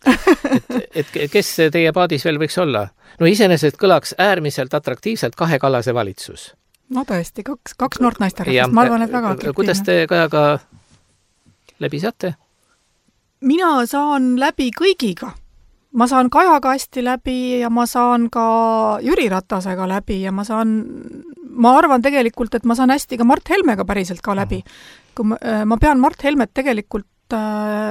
Et kes teie paadis veel võiks olla? No iseenesest kõlaks äärmiselt atraktiivselt 2 Kallase valitsus. No tõesti, 2 noort naisterahvast, ma arvan, et väga atraktiivne. Kuidas te Kajaga läbi saate? Mina saan läbi kõigiga. Ma saan Kajaga hästi läbi ja ma saan ka Jüri Ratasega läbi ja ma arvan tegelikult, et ma saan hästi ka Mart Helmega päriselt ka läbi. Kui ma pean Mart Helmet tegelikult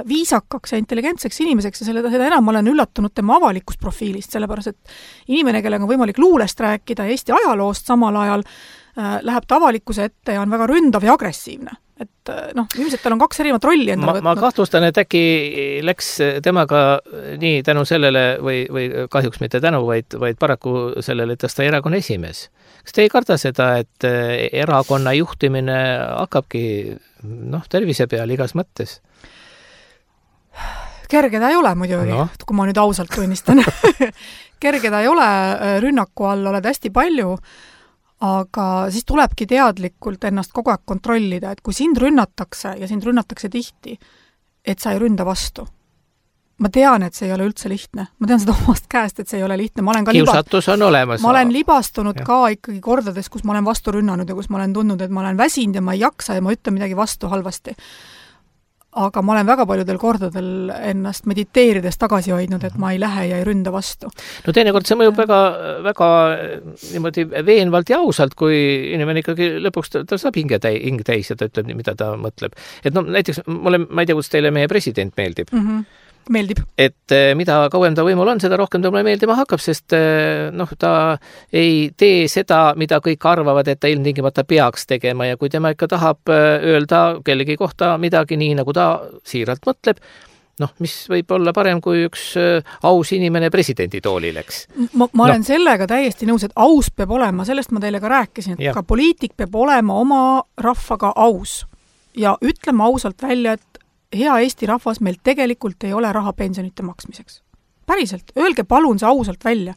viisakaks ja intelligentseks inimeseks ja seda enam ma olen üllatunud tema avalikust profiilist, sellepärast, et inimene, kellega on võimalik luulest rääkida Eesti ajaloost samal ajal, läheb ta avalikkuse ette ja on väga ründav ja agressiivne. Et ilmselt tal on 2 erinevat rolli endale võtnud. Ma kahtlustan, et äkki läks temaga nii tänu sellele või kahjuks mitte tänu, vaid paraku sellele, et ta erakonna esimees. Kas te ei karda seda, et erakonna juhtimine hakkabki tervise peal igas mõttes? Kerge ta ei ole muidugi, kui ma nüüd ausalt tunnistan. Kerge ta ei ole, rünnaku all oled hästi palju, aga siis tulebki teadlikult ennast kogu aeg kontrollida, et kui sind rünnatakse ja sind rünnatakse tihti, et sa ei ründa vastu. Ma tean, et see ei ole üldse lihtne. Ma tean seda omast käest, et see ei ole lihtne. Kiusatus on olemas. Ma olen libastunud ka ikkagi kordades, kus ma olen vastu rünnanud ja kus ma olen tundnud, et ma olen väsinud ja ma ei jaksa ja ma ütlen midagi vastu halvasti. Aga ma olen väga paljudel kordadel ennast mediteerides tagasi hoidnud, et ma ei lähe ja ei ründa vastu. No teinekord see mõjub väga niimoodi veenvalt ja ausalt, kui inimene ikkagi lõpuks ta saab hing täis ja ta ütleb, mida ta mõtleb. Et näiteks ma ei tea, kus teile meie president meeldib. Meeldib. Et mida kauem ta võimul on, seda rohkem ta mulle meeldima hakkab, sest ta ei tee seda, mida kõik arvavad, et ta ilmtingimata peaks tegema ja kui tema ikka tahab öelda kellegi kohta midagi nii, nagu ta siiralt mõtleb, mis võib olla parem, kui üks aus inimene presidendi tooli läks. Ma olen sellega täiesti nõus, et aus peab olema, sellest ma teile ka rääkisin, et ka poliitik peab olema oma rahvaga aus ja ütlema ausalt välja, et hea Eesti rahvas, meil tegelikult ei ole raha pensionite maksmiseks. Päriselt, öelge palun see ausalt välja.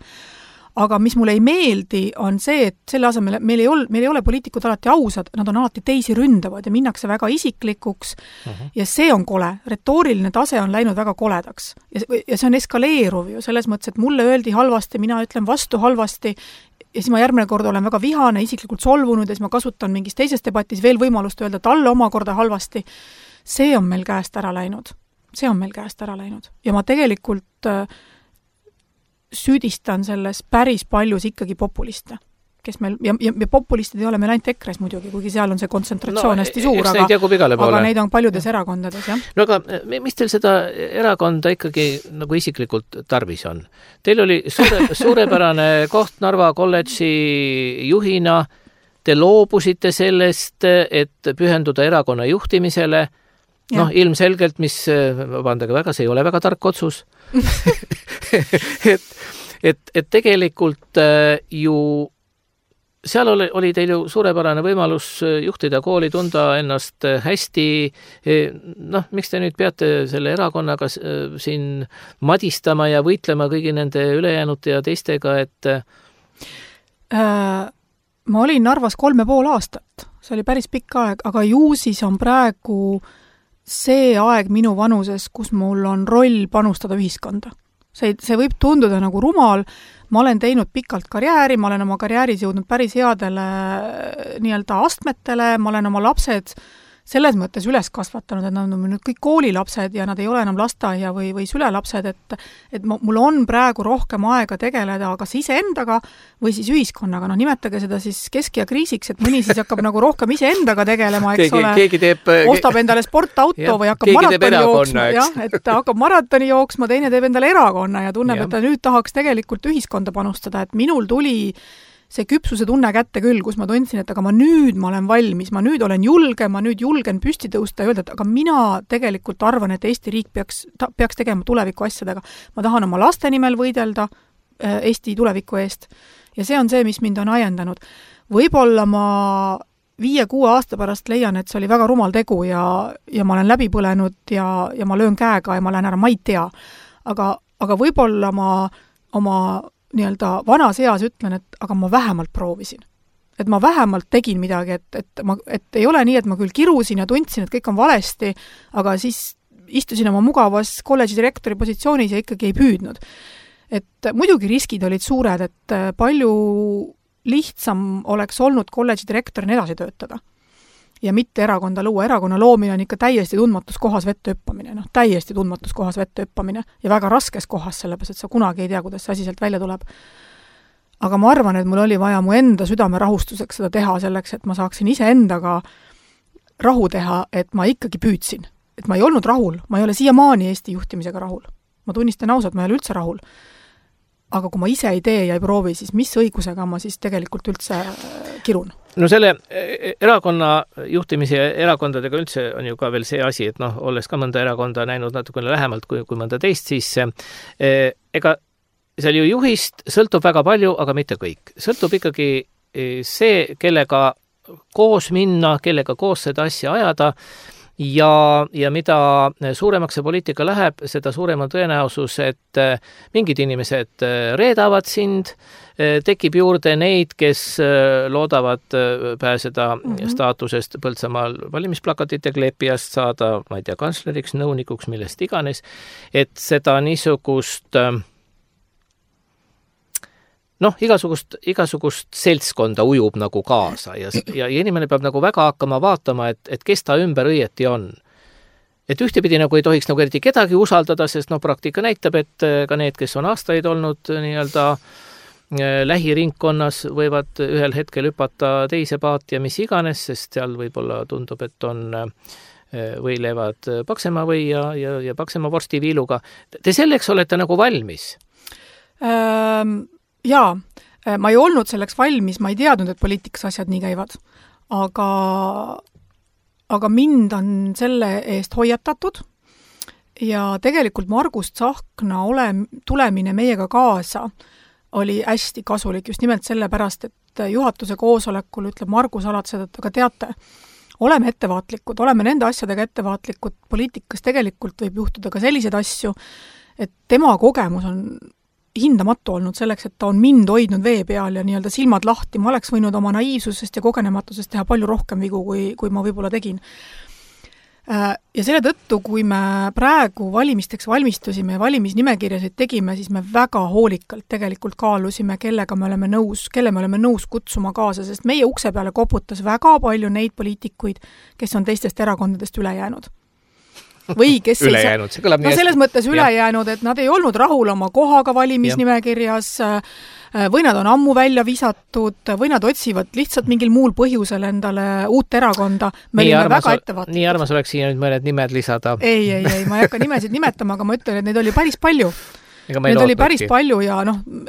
Aga mis mulle ei meeldi, on see, et selle asemel meil ei ole poliitikud alati ausad, nad on alati teisi ründavad ja minnakse väga isiklikuks ja see on kole. Retooriline tase on läinud väga koledaks. Ja see on eskaleeruv ju selles mõttes, et mulle öeldi halvasti, mina ütlen vastu halvasti ja siis ma järgmine kord olen väga vihane, isiklikult solvunud ja siis ma kasutan mingis teises debatis veel võimalust öelda talle omakorda halvasti. See on meil käest ära läinud. Ja ma tegelikult süüdistan selles päris paljus ikkagi populiste. kes meil, ja populistid ei ole meil ainult EKRE-s muidugi, kuigi seal on see kontsentratsioon hästi suur, aga neid on paljudes erakondades, jah. No aga mis teil seda erakonda ikkagi nagu isiklikult tarvis on? Teil oli suurepärane koht Narva kolledži juhina, te loobusite sellest, et pühenduda erakonna juhtimisele, noh, ilmselgelt, mis, vabandage väga, see ei ole väga tark otsus. et tegelikult ju seal oli teil ju suurepärane võimalus juhtida kooli, tunda ennast hästi. Noh, miks te nüüd peate selle erakonnaga siin madistama ja võitlema kõigi nende ülejäänute ja teistega, et ma olin Narvas 3,5 aastat. See oli päris pikk aeg, aga ju siis on praegu see aeg minu vanuses, kus mul on roll panustada ühiskonda. See võib tunduda nagu rumal, ma olen teinud pikalt karjääri, ma olen oma karjääris jõudnud päris headele nii-öelda astmetele, ma olen oma lapsed selles mõttes üles kasvatanud, et nad on nüüd kõik koolilapsed ja nad ei ole enam lasteaia või sülelapsed, et mul on praegu rohkem aega tegeleda kas iseendaga või siis ühiskonnaga. No nimetage seda siis kesk- ja kriisiks, et mõni siis hakkab nagu rohkem iseendaga tegelema, eks ostab endale sportauto või hakkab maratoni jooksma, et hakkab maratoni jooksma, teine teeb endale erakonna ja tunneb, et ta nüüd tahaks tegelikult ühiskonda panustada, et minul tuli see küpsuse tunne kätte küll, kus ma tundsin, et aga ma olen valmis, ma nüüd olen julge, ma nüüd julgen püsti tõusta ja öelda, et aga mina tegelikult arvan, et Eesti riik peaks tegema tuleviku asjadega. Ma tahan oma laste nimel võidelda Eesti tuleviku eest ja see on see, mis mind on ajendanud. Võib-olla ma 5-6 aasta pärast leian, et see oli väga rumal tegu ja ma olen läbi põlenud ja ma löön käega ja ma lähen ära, ma ei tea. Aga võib-olla ma oma nii-öelda vanas eas ütlen, et aga ma vähemalt proovisin. Et ma vähemalt tegin midagi, et ei ole nii, et ma küll kirusin ja tundsin, et kõik on valesti, aga siis istusin oma mugavas kolledži direktori positsioonis ja ikkagi ei püüdnud. Et muidugi riskid olid suured, et palju lihtsam oleks olnud kolledži direktorina edasi töötada. Ja mitte erakonda luua. Erakonna loomine on ikka täiesti tundmatus kohas vette hüppamine. Täiesti tundmatus kohas vette hüppamine ja väga raskes kohas, sellepärast, et sa kunagi ei tea, kuidas see asi sealt välja tuleb. Aga ma arvan, et mul oli vaja mu enda südame rahustuseks seda teha selleks, et ma saaksin iseendaga rahu teha, et ma ikkagi püüdsin. Et ma ei olnud rahul, ma ei ole siiamaani Eesti juhtimisega rahul. Ma tunnistan ausalt, ma ei ole üldse rahul. Aga kui ma ise ei tee ja ei proovi, siis mis õigusega ma siis tegelikult üldse kirun? No selle erakonna juhtimise ja erakondadega üldse on ju ka veel see asi, et noh, olles ka mõnda erakonda näinud natukene lähemalt kui mõnda teist, siis ega seal ju juhist sõltub väga palju, aga mitte kõik. Sõltub ikkagi see, kellega koos minna, kellega koos seda asja ajada ja mida suuremaks see poliitika läheb, seda suurem on tõenäosus, et mingid inimesed reedavad sind, tekib juurde neid, kes loodavad pääseda staatusest Põltsamaal valimisplakatite kleepijast, saada, ma ei tea, kantsleriks, nõunikuks, millest iganes, et seda niisugust igasugust seltskonda ujub nagu kaasa ja inimene peab nagu väga hakkama vaatama, et kes ta ümber õieti on. Et ühtepidi nagu ei tohiks nagu eriti kedagi usaldada, sest praktika näitab, et ka need, kes on aastaid olnud nii-öelda lähiringkonnas, võivad ühel hetkel hüpata teise paati ja mis iganes, sest seal võib-olla tundub, et on võilevad paksema või ja paksema vorstiviiluga. Te selleks olete nagu valmis? Jaa, ma ei olnud selleks valmis, ma ei teadnud, et poliitikas asjad nii käivad, aga mind on selle eest hoiatatud ja tegelikult Margus Tsahkna tulemine meiega kaasa oli hästi kasulik just nimelt sellepärast, et juhatuse koosolekul ütleb Margus alati seda, et aga teate, oleme ettevaatlikud, oleme nende asjadega ettevaatlikud, poliitikas tegelikult võib juhtuda ka selliseid asju, et tema kogemus on hindamatu olnud selleks, et ta on mind hoidnud vee peal ja nii-öelda silmad lahti. Ma oleks võinud oma naiivsusest ja kogenematusest teha palju rohkem vigu, kui ma võib-olla tegin. Ja selle tõttu, kui me praegu valimisteks valmistusime ja valimisnimekirjasid tegime, siis me väga hoolikalt tegelikult kaalusime, kelle me oleme nõus kutsuma kaasa, sest meie ukse peale koputas väga palju neid poliitikuid, kes on teistest erakondadest üle jäänud. Või kes ülejäänud, see kõlab nii selles mõttes ülejäänud, et nad ei olnud rahul oma kohaga valimisnimekirjas, või nad on ammu välja visatud või nad otsivad lihtsalt mingil muul põhjusel endale uut erakonda. Me olime väga ettevaatlikud. Nii armas oleks siin nüüd mõned nimed lisada. Ei, ma ei hakka nimesid nimetama, aga ma ütlen, et neid oli päris palju. Need oli päris palju ja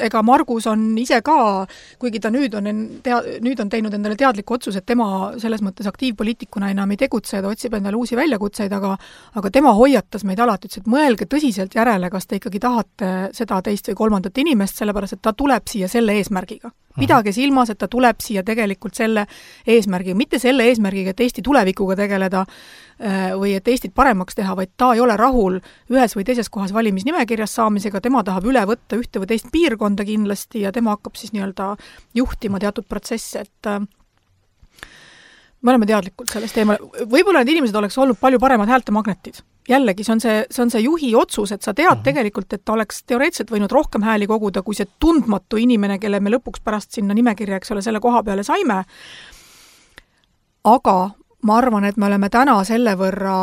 ega Margus on ise ka, kuigi ta nüüd on teinud endale teadliku otsus, et tema selles mõttes aktiivpoliitikuna enam ei tegutse ja ta otsib endale uusi väljakutseid, aga tema hoiatas meid alati, ütles, et mõelge tõsiselt järele, kas te ikkagi tahate seda teist või kolmandat inimest, sellepärast, et ta tuleb siia selle eesmärgiga. Pidage silmas, et ta tuleb siia tegelikult selle eesmärgiga, mitte selle eesmärgiga, et Eesti tulevikuga tegeleda või et Eestit paremaks teha, vaid ta ei ole rahul ühes või teises kohas valimisnimekirjas saamisega, tema tahab üle võtta ühte või teist piirkonda kindlasti ja tema hakkab siis nii-öelda juhtima teatud protsesse, et me oleme teadlikult sellest teemal. Võib-olla need inimesed oleks olnud palju paremad häältemagnetid. Jällegi, see on see juhi otsus, et sa tead tegelikult, et ta oleks teoreetselt võinud rohkem hääli koguda, kui see tundmatu inimene, kelle me lõpuks pärast sinna nimekirja, eks ole, selle koha peale saime. Aga ma arvan, et me oleme täna selle võrra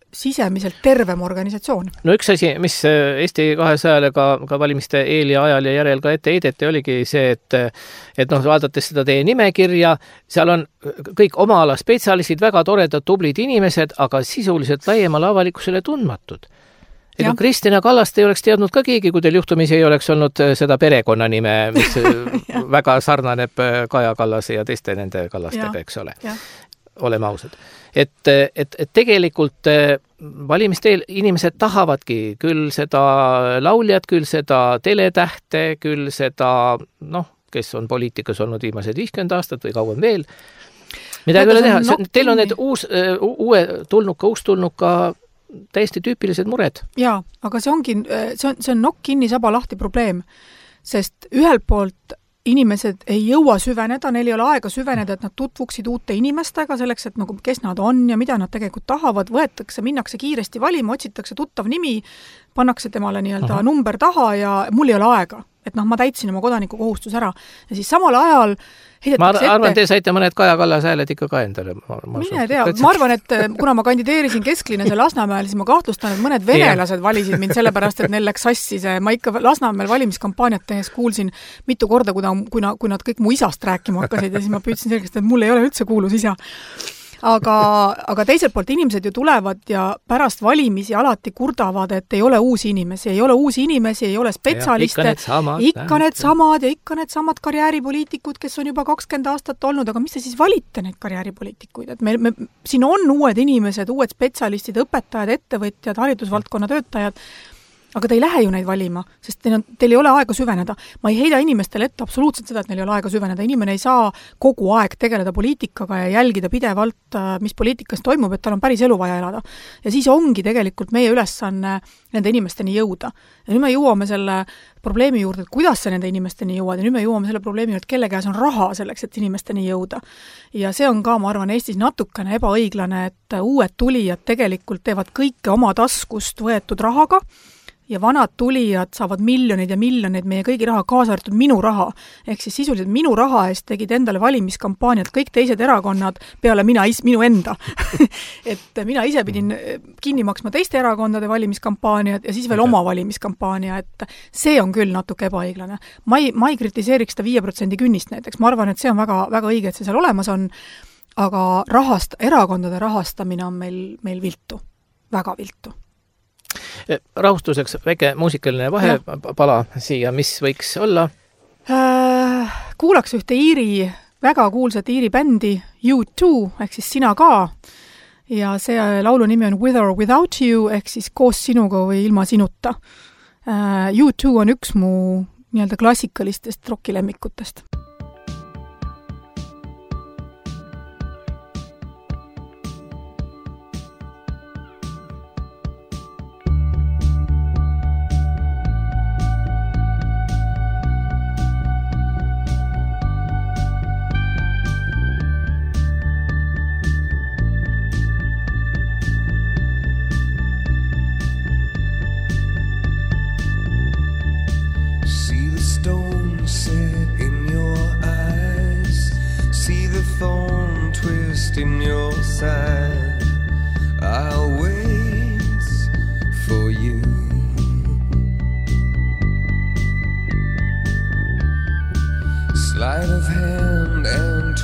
sisemiselt tervem organisatsioon. No üks asi, mis Eesti 200-le ka valimiste eel ja ajal ja järel ka ette heideti, oligi see, et vaadates seda teie nimekirja, seal on kõik oma ala spetsialistid, väga toredad, tublid inimesed, aga sisuliselt laiemale avalikkusele tundmatud. Ega Kristina Kallast ei oleks teadnud ka keegi, kui teil juhtumisi ei oleks olnud seda perekonnanime, mis väga sarnaneb Kaja Kallase ja teiste nende Kallastega, eks ole. Oleme ausad. Et tegelikult valimiste eel inimesed tahavadki küll seda lauljat, küll seda teletähte, küll seda, kes on poliitikas olnud viimased 50 aastat või kauem veel. Midagi üle teha. Teil on need uustulnuka täiesti tüüpilised mured. Jaa, aga see on nokk kinni saba lahti probleem, sest ühelt poolt inimesed ei jõua süveneda, neil ei ole aega süveneda, et nad tutvuksid uute inimestega selleks, et kes nad on ja mida nad tegelikult tahavad, minnakse kiiresti valima, otsitakse tuttav nimi, pannakse temale nii-öelda number taha ja mul ei ole aega. Et ma täitsin oma kodaniku kohustus ära. Ja siis samal ajal ma arvan, te saite mõned Kaja Kallase hääled ikka ka endale. Mine tea, ma arvan, et kuna ma kandideerisin Kesklinnas ja Lasnamäel, siis ma kahtlustan, et mõned venelased valisid mind sellepärast, et neil läks sassi see. Ma ikka Lasnamäel valimiskampaaniat tehes kuulsin mitu korda, kui nad kõik mu isast rääkima hakkasid ja siis ma püüdsin selgest, et mul ei ole üldse kuulus isa. Aga teiselt poolt inimesed ju tulevad ja pärast valimisi alati kurdavad, et ei ole uusi inimesi, ei ole spetsialiste, ikka need samad karjääripoliitikud, kes on juba 20 aastat olnud, aga mis te siis valite neid karjääripoliitikuid? Et siin on uued inimesed, uued spetsialistid, õpetajad, ettevõtjad, haridusvaldkonna töötajad, aga te ei lähe ju neid valima, sest teil ei ole aega süveneda. Ma ei heida inimestele ette absoluutselt seda, et neil ei ole aega süveneda. Inimene ei saa kogu aeg tegeleda poliitikaga ja jälgida pidevalt, mis poliitikas toimub, et tal on päris elu vaja elada. Ja siis ongi tegelikult meie ülesanne nende inimesteni jõuda. Ja nüüd me jõuame selle probleemi juurde, et kuidas see nende inimesteni jõuad, ja nüüd me jõuame selle probleemi juurde, et kelle käes on raha selleks, et inimesteni jõuda. Ja see on ka, ma arvan, Eestis natukene ebaõiglane, et uued tulijad tegelikult teevad kõike oma taskust võetud rahaga, ja vanad tulijad saavad miljoneid ja miljoneid meie kõigi raha, kaasa arvatud minu raha. Ehk siis sisuliselt minu raha eest tegid endale valimiskampaaniad kõik teised erakonnad peale minu enda. Et mina ise pidin kinni maksma teiste erakondade valimiskampaaniad ja siis veel oma valimiskampaania, et see on küll natuke ebaõiglane. Ma ei kritiseeriks seda 5% künnist näiteks. Ma arvan, et see on väga, väga õige, et see seal olemas on, aga erakondade rahastamine on meil viltu. Väga viltu. Rahustuseks väike muusikaline vahepala siia, mis võiks olla? Kuulaks ühte väga kuulsat Iiri bändi U2, ehk siis Sina ka. Ja see laulu nimi on With or Without You, ehk siis koos sinuga või ilma sinuta. U2 on üks mu nii-öelda klassikalistest rockilemmikutest. In your side, I'll wait for you.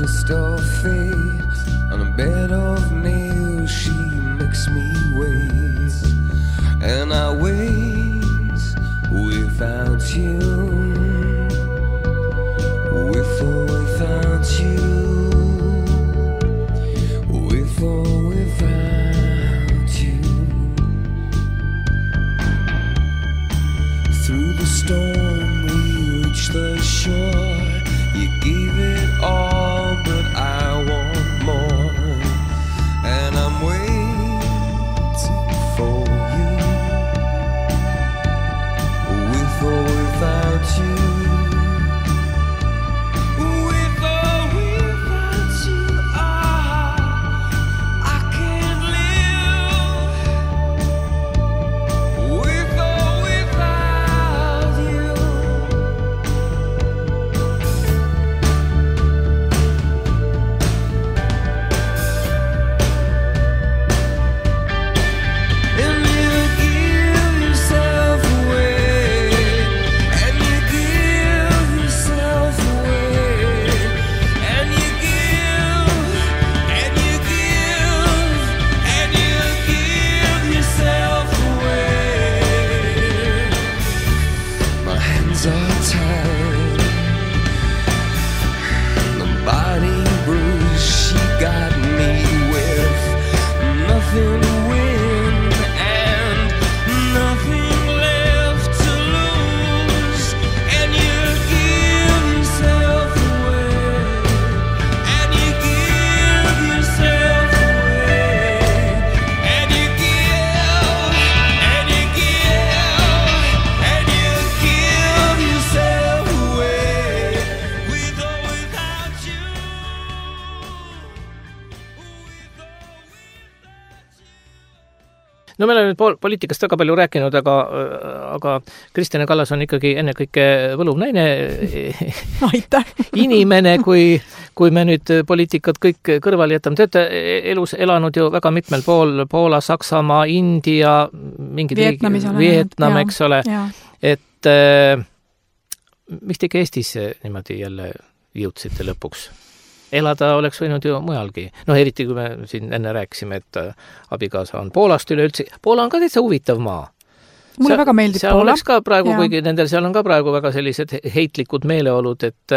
twist of fate. On a bed of nails she makes me wait. And I wait without you. With or without you. With or without you. Through the storm we reach the shore. You gave it all, but I want more. And I'm waiting for you. With or without you. With or without you, I can't live. With or without you. And you give yourself away. And you give yourself away. And you give. And you give. And you give yourself away. My hands are tied. The body bruise she got me with. Nothing to win and nothing left to lose. And you give yourself away. And you give yourself away. And you give. And you give. And you give yourself away. With or without you. no me oleme nüüd poliitikast väga palju rääkinud, aga Kristjan Kallas on ikkagi ennekõike võluv naine, Aitäh! inimene, kui me nüüd poliitikat kõik kõrvale jätame. Te olete elus elanud ju väga mitmel pool, Poola, Saksamaa, India, mingid Vietnam, eks ole. Et miks te ikka Eestis niimoodi jälle jõudsite lõpuks? Elada oleks võinud ju mujalgi. No eriti, kui me siin enne rääkisime, et abikaasa on Poolast üleüldse. Poola on ka täitsa huvitav maa. Mulle väga meeldib seal Poola. Oleks ka praegu, kuigi nendel seal on ka praegu väga sellised heitlikud meeleolud, et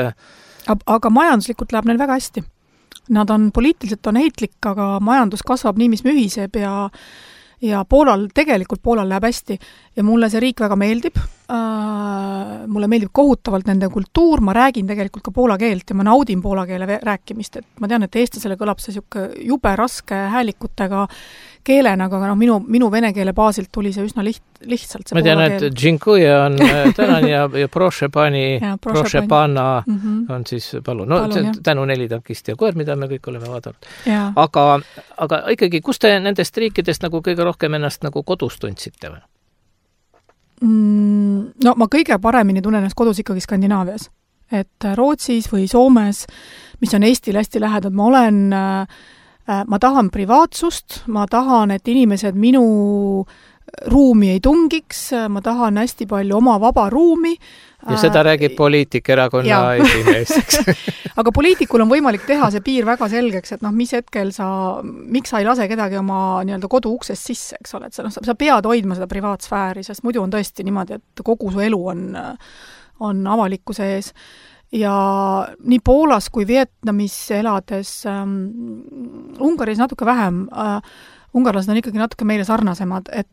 aga majanduslikult läheb neil väga hästi. Nad on poliitiliselt on heitlik, aga majandus kasvab nii, mis mühiseb ja Poolal läheb hästi ja mulle see riik väga meeldib. Mulle meeldib kohutavalt nende kultuur, ma räägin tegelikult ka poola keelt ja ma naudin poola keele rääkimist, et ma tean, et eestlasele kõlab see jube raske häälikutega keelena, aga minu vene keele baasilt tuli see üsna lihtsalt. Ma tean, et Džinkuja on tänan ja proše panna on siis palun. No tänu Nelitankist ja koer, mida me kõik oleme vaadanud. Aga ikkagi, kus te nendest riikidest nagu kõige rohkem ennast nagu kodus tundsite või? No ma kõige paremini tunnen ennast kodus ikkagi Skandinaavias. Et Rootsis või Soomes, mis on Eestile hästi lähedal, ma tahan privaatsust, ma tahan, et inimesed minu ruumi ei tungiks, ma tahan hästi palju oma vaba ruumi. Ja seda räägib poliitikerakonna esimees. Aga poliitikul on võimalik teha see piir väga selgeks, et mis hetkel miks sa ei lase kedagi oma nii-öelda kodu uksest sisse, eks ole, et sa pead hoidma seda privaatsfääri, sest muidu on tõesti niimoodi, et kogu su elu on avalikkuse ees. Ja nii Poolas kui Vietnamis elades, Ungaris natuke vähem, ungarlased on ikkagi natuke meile sarnasemad, et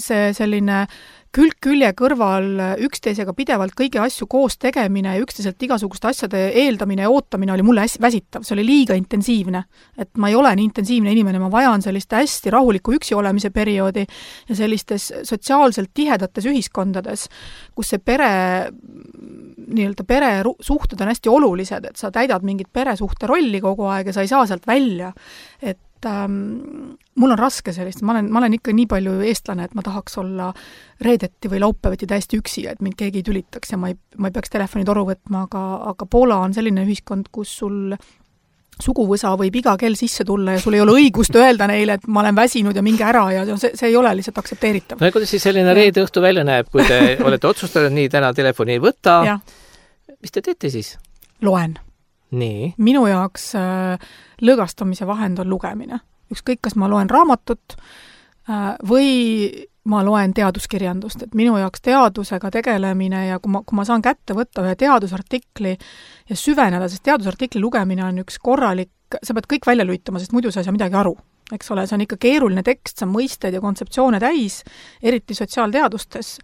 see selline külg-külje kõrval üksteisega pidevalt kõigi asju koos tegemine ja üksteiselt igasuguste asjade eeldamine ja ootamine oli mulle väsitav, see oli liiga intensiivne. Et ma ei ole nii intensiivne inimene, ma vajan sellist hästi rahuliku üksi olemise perioodi ja sellistes sotsiaalselt tihedates ühiskondades, kus see pere suhted on hästi olulised, et sa täidad mingit peresuhte rolli kogu aeg ja sa ei saa sealt välja. Et mul on raske sellist, ma olen ikka nii palju eestlane, et ma tahaks olla reedeti või laupäevati täiesti üksi, et mind keegi ei tülitaks ja ma ei peaks telefoni toru võtma, aga Poola on selline ühiskond, kus sul suguvõsa võib iga kell sisse tulla ja sul ei ole õigust öelda neile, et ma olen väsinud ja minge ära ja see ei ole lihtsalt aktsepteeritav. No kuidas siis selline reede õhtu välja näeb, kui te olete otsustanud, nii täna telefoni ei võta? Mis te teete siis? Loen. Nii. Minu jaoks lõõgastamise vahend on lugemine. Ükskõik, kas ma loen raamatut või ma loen teaduskirjandust, et minu jaoks teadusega tegelemine ja kui ma saan kätte võtta ühe teadusartikli ja süveneda, sest teadusartikli lugemine on üks korralik, sa pead kõik välja lülitama, sest muidu sa ei saa midagi aru. Eks ole, see on ikka keeruline tekst, see on mõisted ja kontseptsioone täis, eriti sotsiaalteadustes.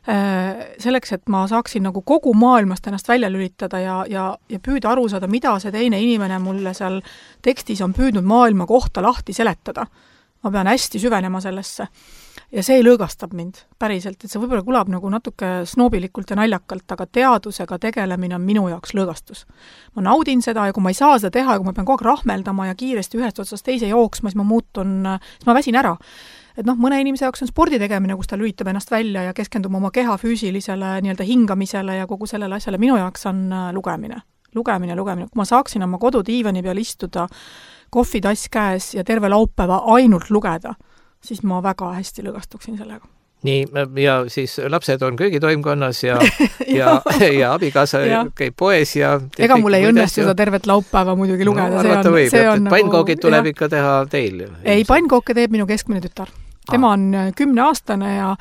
Selleks, et ma saaksin nagu kogu maailmast ennast välja lülitada ja püüda aru saada, mida see teine inimene mulle seal tekstis on püüdnud maailma kohta lahti seletada. Ma pean hästi süvenema sellesse. Ja see lõõgastab mind päriselt, et see võib-olla kõlab nagu natuke snoobilikult ja naljakalt, aga teadusega tegelemine on minu jaoks lõõgastus. Ma naudin seda ja kui ma ei saa seda teha ja kui ma pean kogu aeg rahmeldama ja kiiresti ühest otsast teise jooksma, siis ma väsin ära. Et mõne inimese jaoks on spordi tegemine, kus ta lülitab ennast välja ja keskendub oma keha füüsilisele nii-öelda hingamisele ja kogu sellele asjale. Minu jaoks on lugemine. Kui ma saaksin oma kodudiivani peal istuda, kohvitass käes ja terve laupäeva ainult lugeda, siis ma väga hästi lõõgastuksin sellega. Nii, ja siis lapsed on köögitoimkonnas ja abikaasa käib poes ja... Ega mul ei õnnestu seda tervet laupäeva muidugi lugeda. Pannkoogid tuleb ikka teha teil. Ei, pannkooke teeb minu keskmine tütar. Tema on 10-aastane ja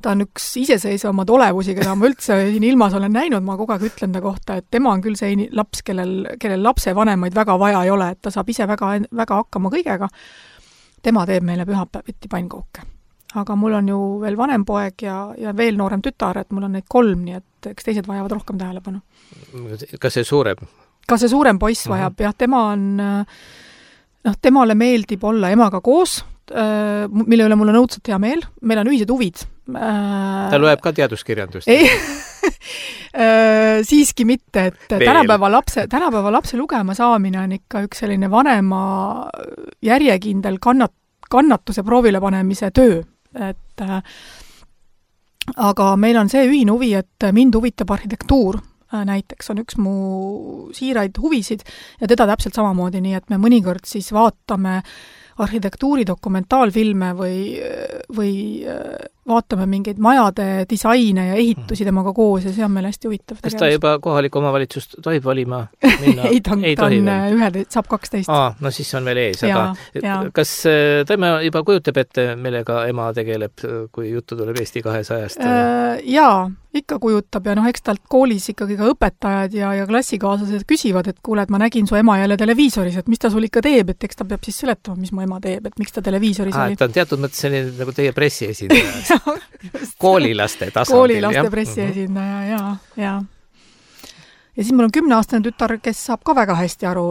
ta on üks iseseisvamad olevusi, keda ma üldse siin ilmas olen näinud, ma kogu aeg ütlen ta kohta, et tema on küll see laps, kellel lapse vanemaid väga vaja ei ole, et ta saab ise väga hakkama kõigega. Tema teeb meile pühapäeviti pannkooke. Aga mul on ju veel vanem poeg ja veel noorem tütar, et mul on neid 3, nii et eks teised vajavad rohkem tähelepanu. Kas see suurem? Ka see suurem poiss vajab, jah, temale meeldib olla emaga koos, mille üle mul on õudselt hea meel. Meil on ühised huvid. Ta loeb ka teaduskirjandust? Ei, siiski mitte, et tänapäeva lapse lugema saamine on ikka üks selline vanema järjekindel kannatuse proovile panemise töö. Aga meil on see ühine huvi, et mind huvitab arhitektuur. Näiteks on üks mu siiraid huvisid ja teda täpselt samamoodi, nii et me mõnikord siis vaatame arhitektuuri dokumentaalfilme või vaatame mingeid majade disaine ja ehitusi temaga koos ja see on meil hästi huvitav. Kas ta juba kohalik omavalitsust tohib valima minna? Ei, ta on saab 12. No siis on veel ees. Kas tema juba kujutab ette, millega ema tegeleb, kui juttu tuleb Eesti 200-st? Jaa, ikka kujutab ja eks talt koolis ikkagi ka õpetajad ja klassikaaslased küsivad, et kuule, et ma nägin su ema jälle televiisoris, et mis ta sul ikka teeb, et eks ta peab siis seletama, mis mu ema teeb, et miks ta televiisoris oli. Ta on teatud mõttes selline nagu teie pressiesindaja. Koolilaste tasandil. Koolilaste pressiesindaja, ja. Ja siis mul on 10-aastane tütar, kes saab ka väga hästi aru,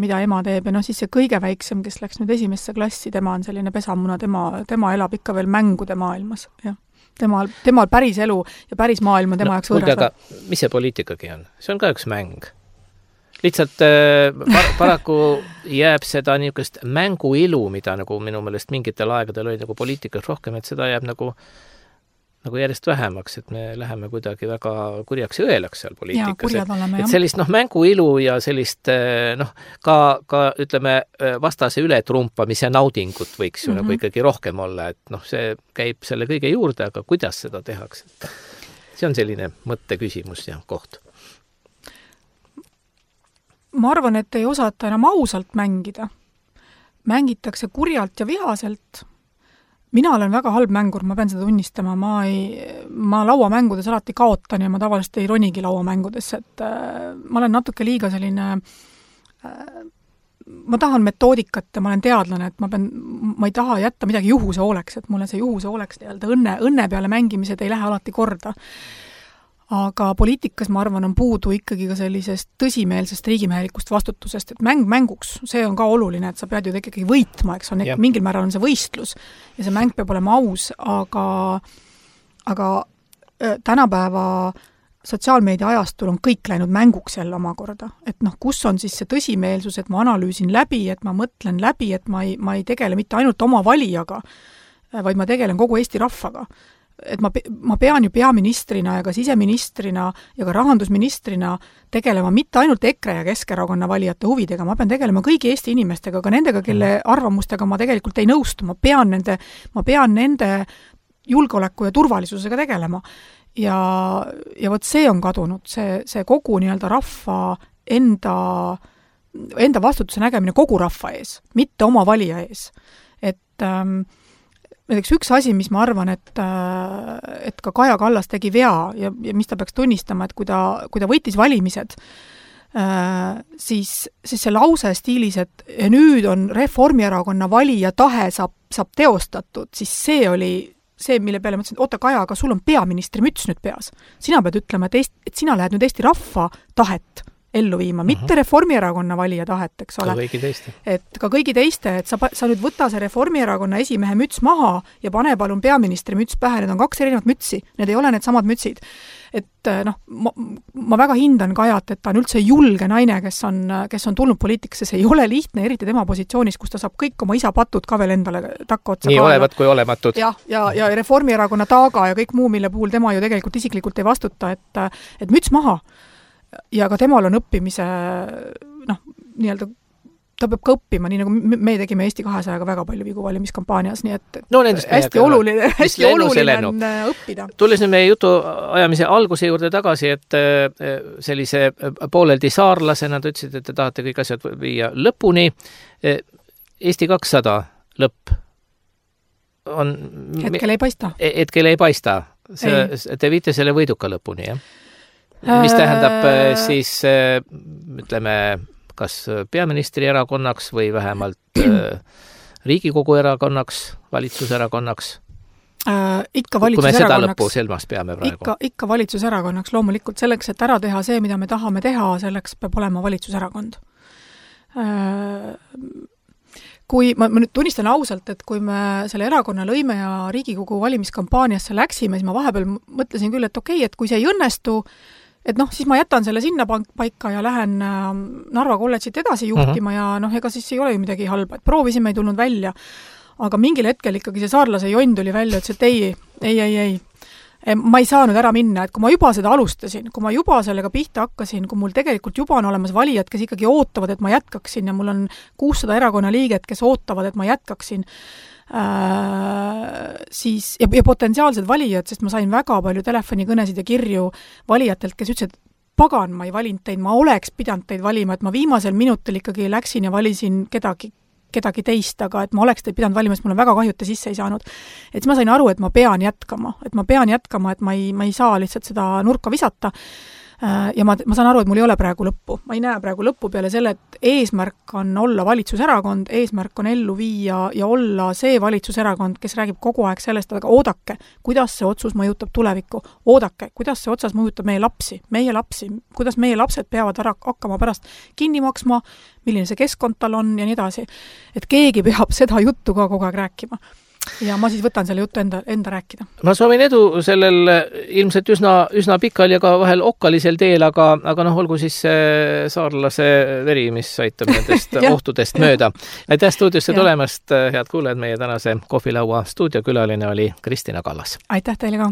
mida ema teeb. Ja siis see kõige väiksem, kes läks nüüd esimesse klassi, tema on selline pesamuna, tema elab ikka veel mängude maailmas. Ja. Temal päris elu ja päris maailm on tema jaoks võõras. Aga mis see poliitikagi on? See on ka üks mäng. Lihtsalt paraku jääb seda niisugust mänguilu, mida nagu minu meelest mingitel aegadel oli nagu poliitikas rohkem, et seda jääb nagu järjest vähemaks, et me läheme kuidagi väga kurjaks ja õelaks seal poliitikas. Et sellist mänguilu ja sellist ka ütleme vastase ületrumpamise naudingut võiks ju nagu ikkagi rohkem olla, et see käib selle kõige juurde, aga kuidas seda tehakse? See on selline mõtteküsimus ja koht. Ma arvan, et ei osata enam ausalt mängida. Mängitakse kurjalt ja vihaselt. Mina olen väga halb mängur, ma pean seda tunnistama. Ma lauamängudes alati kaotan ja ma tavaliselt ei ronigi lauamängudes. Et ma olen natuke liiga selline... Ma tahan metoodikat ja ma olen teadlane, et ma ei taha jätta midagi juhuse hooleks, et mulle see juhuse hooleks õnne peale mängimised ei lähe alati korda. Aga poliitikas, ma arvan, on puudu ikkagi ka sellisest tõsimeelsest riigimehelikust vastutusest, et mänguks, see on ka oluline, et sa pead ju ikkagi võitma, eks on, mingil määral on see võistlus ja see mäng peab olema aus, aga tänapäeva sotsiaalmeedia ajastul on kõik läinud mänguks jälle omakorda, et kus on siis see tõsimeelsus, et ma analüüsin läbi, et ma mõtlen läbi, et ma ei tegele mitte ainult oma valijaga, vaid ma tegelen kogu Eesti rahvaga. Et ma pean ju peaministrina ja ka siseministrina ja ka rahandusministrina tegelema mitte ainult EKRE ja Keskerakonna valijate huvidega, ma pean tegelema kõigi Eesti inimestega, ka nendega, kelle arvamustega ma tegelikult ei nõustu, ma pean nende julgeoleku ja turvalisusega tegelema. Ja vot see on kadunud, see kogu nii-öelda rahva enda vastutuse nägemine kogu rahva ees, mitte oma valija ees. Et näiteks üks asi, mis ma arvan, et ka Kaja Kallas tegi vea ja mis ta peaks tunnistama, et kui ta võitis valimised, siis see lause stiilis, et nüüd on Reformierakonna valija tahe saab teostatud, siis see oli see, mille peale mõtlesin, et oota, Kaja, aga sul on peaministri müts nüüd peas. Sina pead ütlema, et sina lähed nüüd Eesti rahva tahet ellu viima, mitte Reformierakonna valija tahet, eks ole. Ka kõigi teiste. Et ka kõigi teiste, et sa nüüd võta see Reformierakonna esimehe müts maha ja pane palun peaministri müts pähe, need on 2 erinevat mütsi, need ei ole need samad mütsid. Et ma väga hindan Kajat, et ta on üldse julge naine, kes on tulnud poliitikasse, see ei ole lihtne, eriti tema positsioonis, kus ta saab kõik oma isa patud ka veel endale takka otsa nii olevat kui olematud. Ja Reformierakonna taaga ja kõik muu, mille puhul tema ju tegelikult isiklikult ei vastuta, et müts maha. Ja ka temal on õppimise, nii-öelda, ta peab ka õppima, nii nagu me tegime Eesti 200-ga väga palju vigu valimiskampaanias, nii et hästi oluline on õppida. Tulles nüüd meie jutu ajamise alguse juurde tagasi, et sellise pooleldi saarlasena te ütlesid, et te tahate kõik asjad viia lõpuni. Eesti 200 lõpp on... Hetkel ei paista. Hetkel ei paista. Te viite selle võiduka lõpuni, jah? Mis tähendab siis, ütleme, kas peaministri erakonnaks või vähemalt Riigikogu erakonnaks, valitsuserakonnaks? Ikka valitsuserakonnaks. Kui me seda lõppu selmas peame praegu. Ikka valitsuserakonnaks, loomulikult selleks, et ära teha see, mida me tahame teha, selleks peab olema valitsuserakond. Kui ma nüüd tunnistan ausalt, et kui me selle erakonna lõime ja Riigikogu valimiskampaaniasse läksime, siis ma vahepeal mõtlesin küll, et okei, et kui see ei õnnestu, et siis ma jätan selle sinna paika ja lähen Narva kolledžit edasi juhtima ja ega siis ei ole ju midagi halba, et proovisime, ei tulnud välja. Aga mingil hetkel ikkagi see saarlase jonn tuli välja, et ei. Ma ei saanud ära minna, et kui ma juba seda alustasin, kui ma juba sellega pihta hakkasin, kui mul tegelikult juba on olemas valijad, kes ikkagi ootavad, et ma jätkaksin ja mul on 600 erakonna liiget, kes ootavad, et ma jätkaksin, siis, ja potentsiaalsed valijad, sest ma sain väga palju telefonikõnesid ja kirju valijatelt, kes ütlesid, et pagan, ma ei valinud teid, ma oleks pidanud teid valima, et ma viimasel minutil ikkagi läksin ja valisin kedagi teist, aga et ma oleks teid pidanud valima, sest mul on väga kahju, et te sisse ei saanud. Et siis ma sain aru, et ma pean jätkama, et ma ei saa lihtsalt seda nurka visata. Ja ma saan aru, et mul ei ole praegu lõppu. Ma ei näe praegu lõppu peale selle, et eesmärk on olla valitsuserakond, eesmärk on ellu viia ja olla see valitsuserakond, kes räägib kogu aeg sellest, aga oodake, kuidas see otsus mõjutab tulevikku, oodake, kuidas see otsas mõjutab meie lapsi, kuidas meie lapsed peavad hakkama pärast kinni maksma, milline see keskkond tal on ja nii edasi. Et keegi peab seda juttu ka kogu aeg rääkima. Ja ma siis võtan selle juttu enda rääkida. Ma soovin edu sellel ilmselt üsna pikal ja ka vahel okkalisel teel, aga olgu siis saarlase veri, mis aitab nendest ohtudest mööda. Aitäh stuudiosse tulemast, head kuulajad, meie tänase kohvilaua stuudiokülaline oli Kristina Kallas. Aitäh teile ka!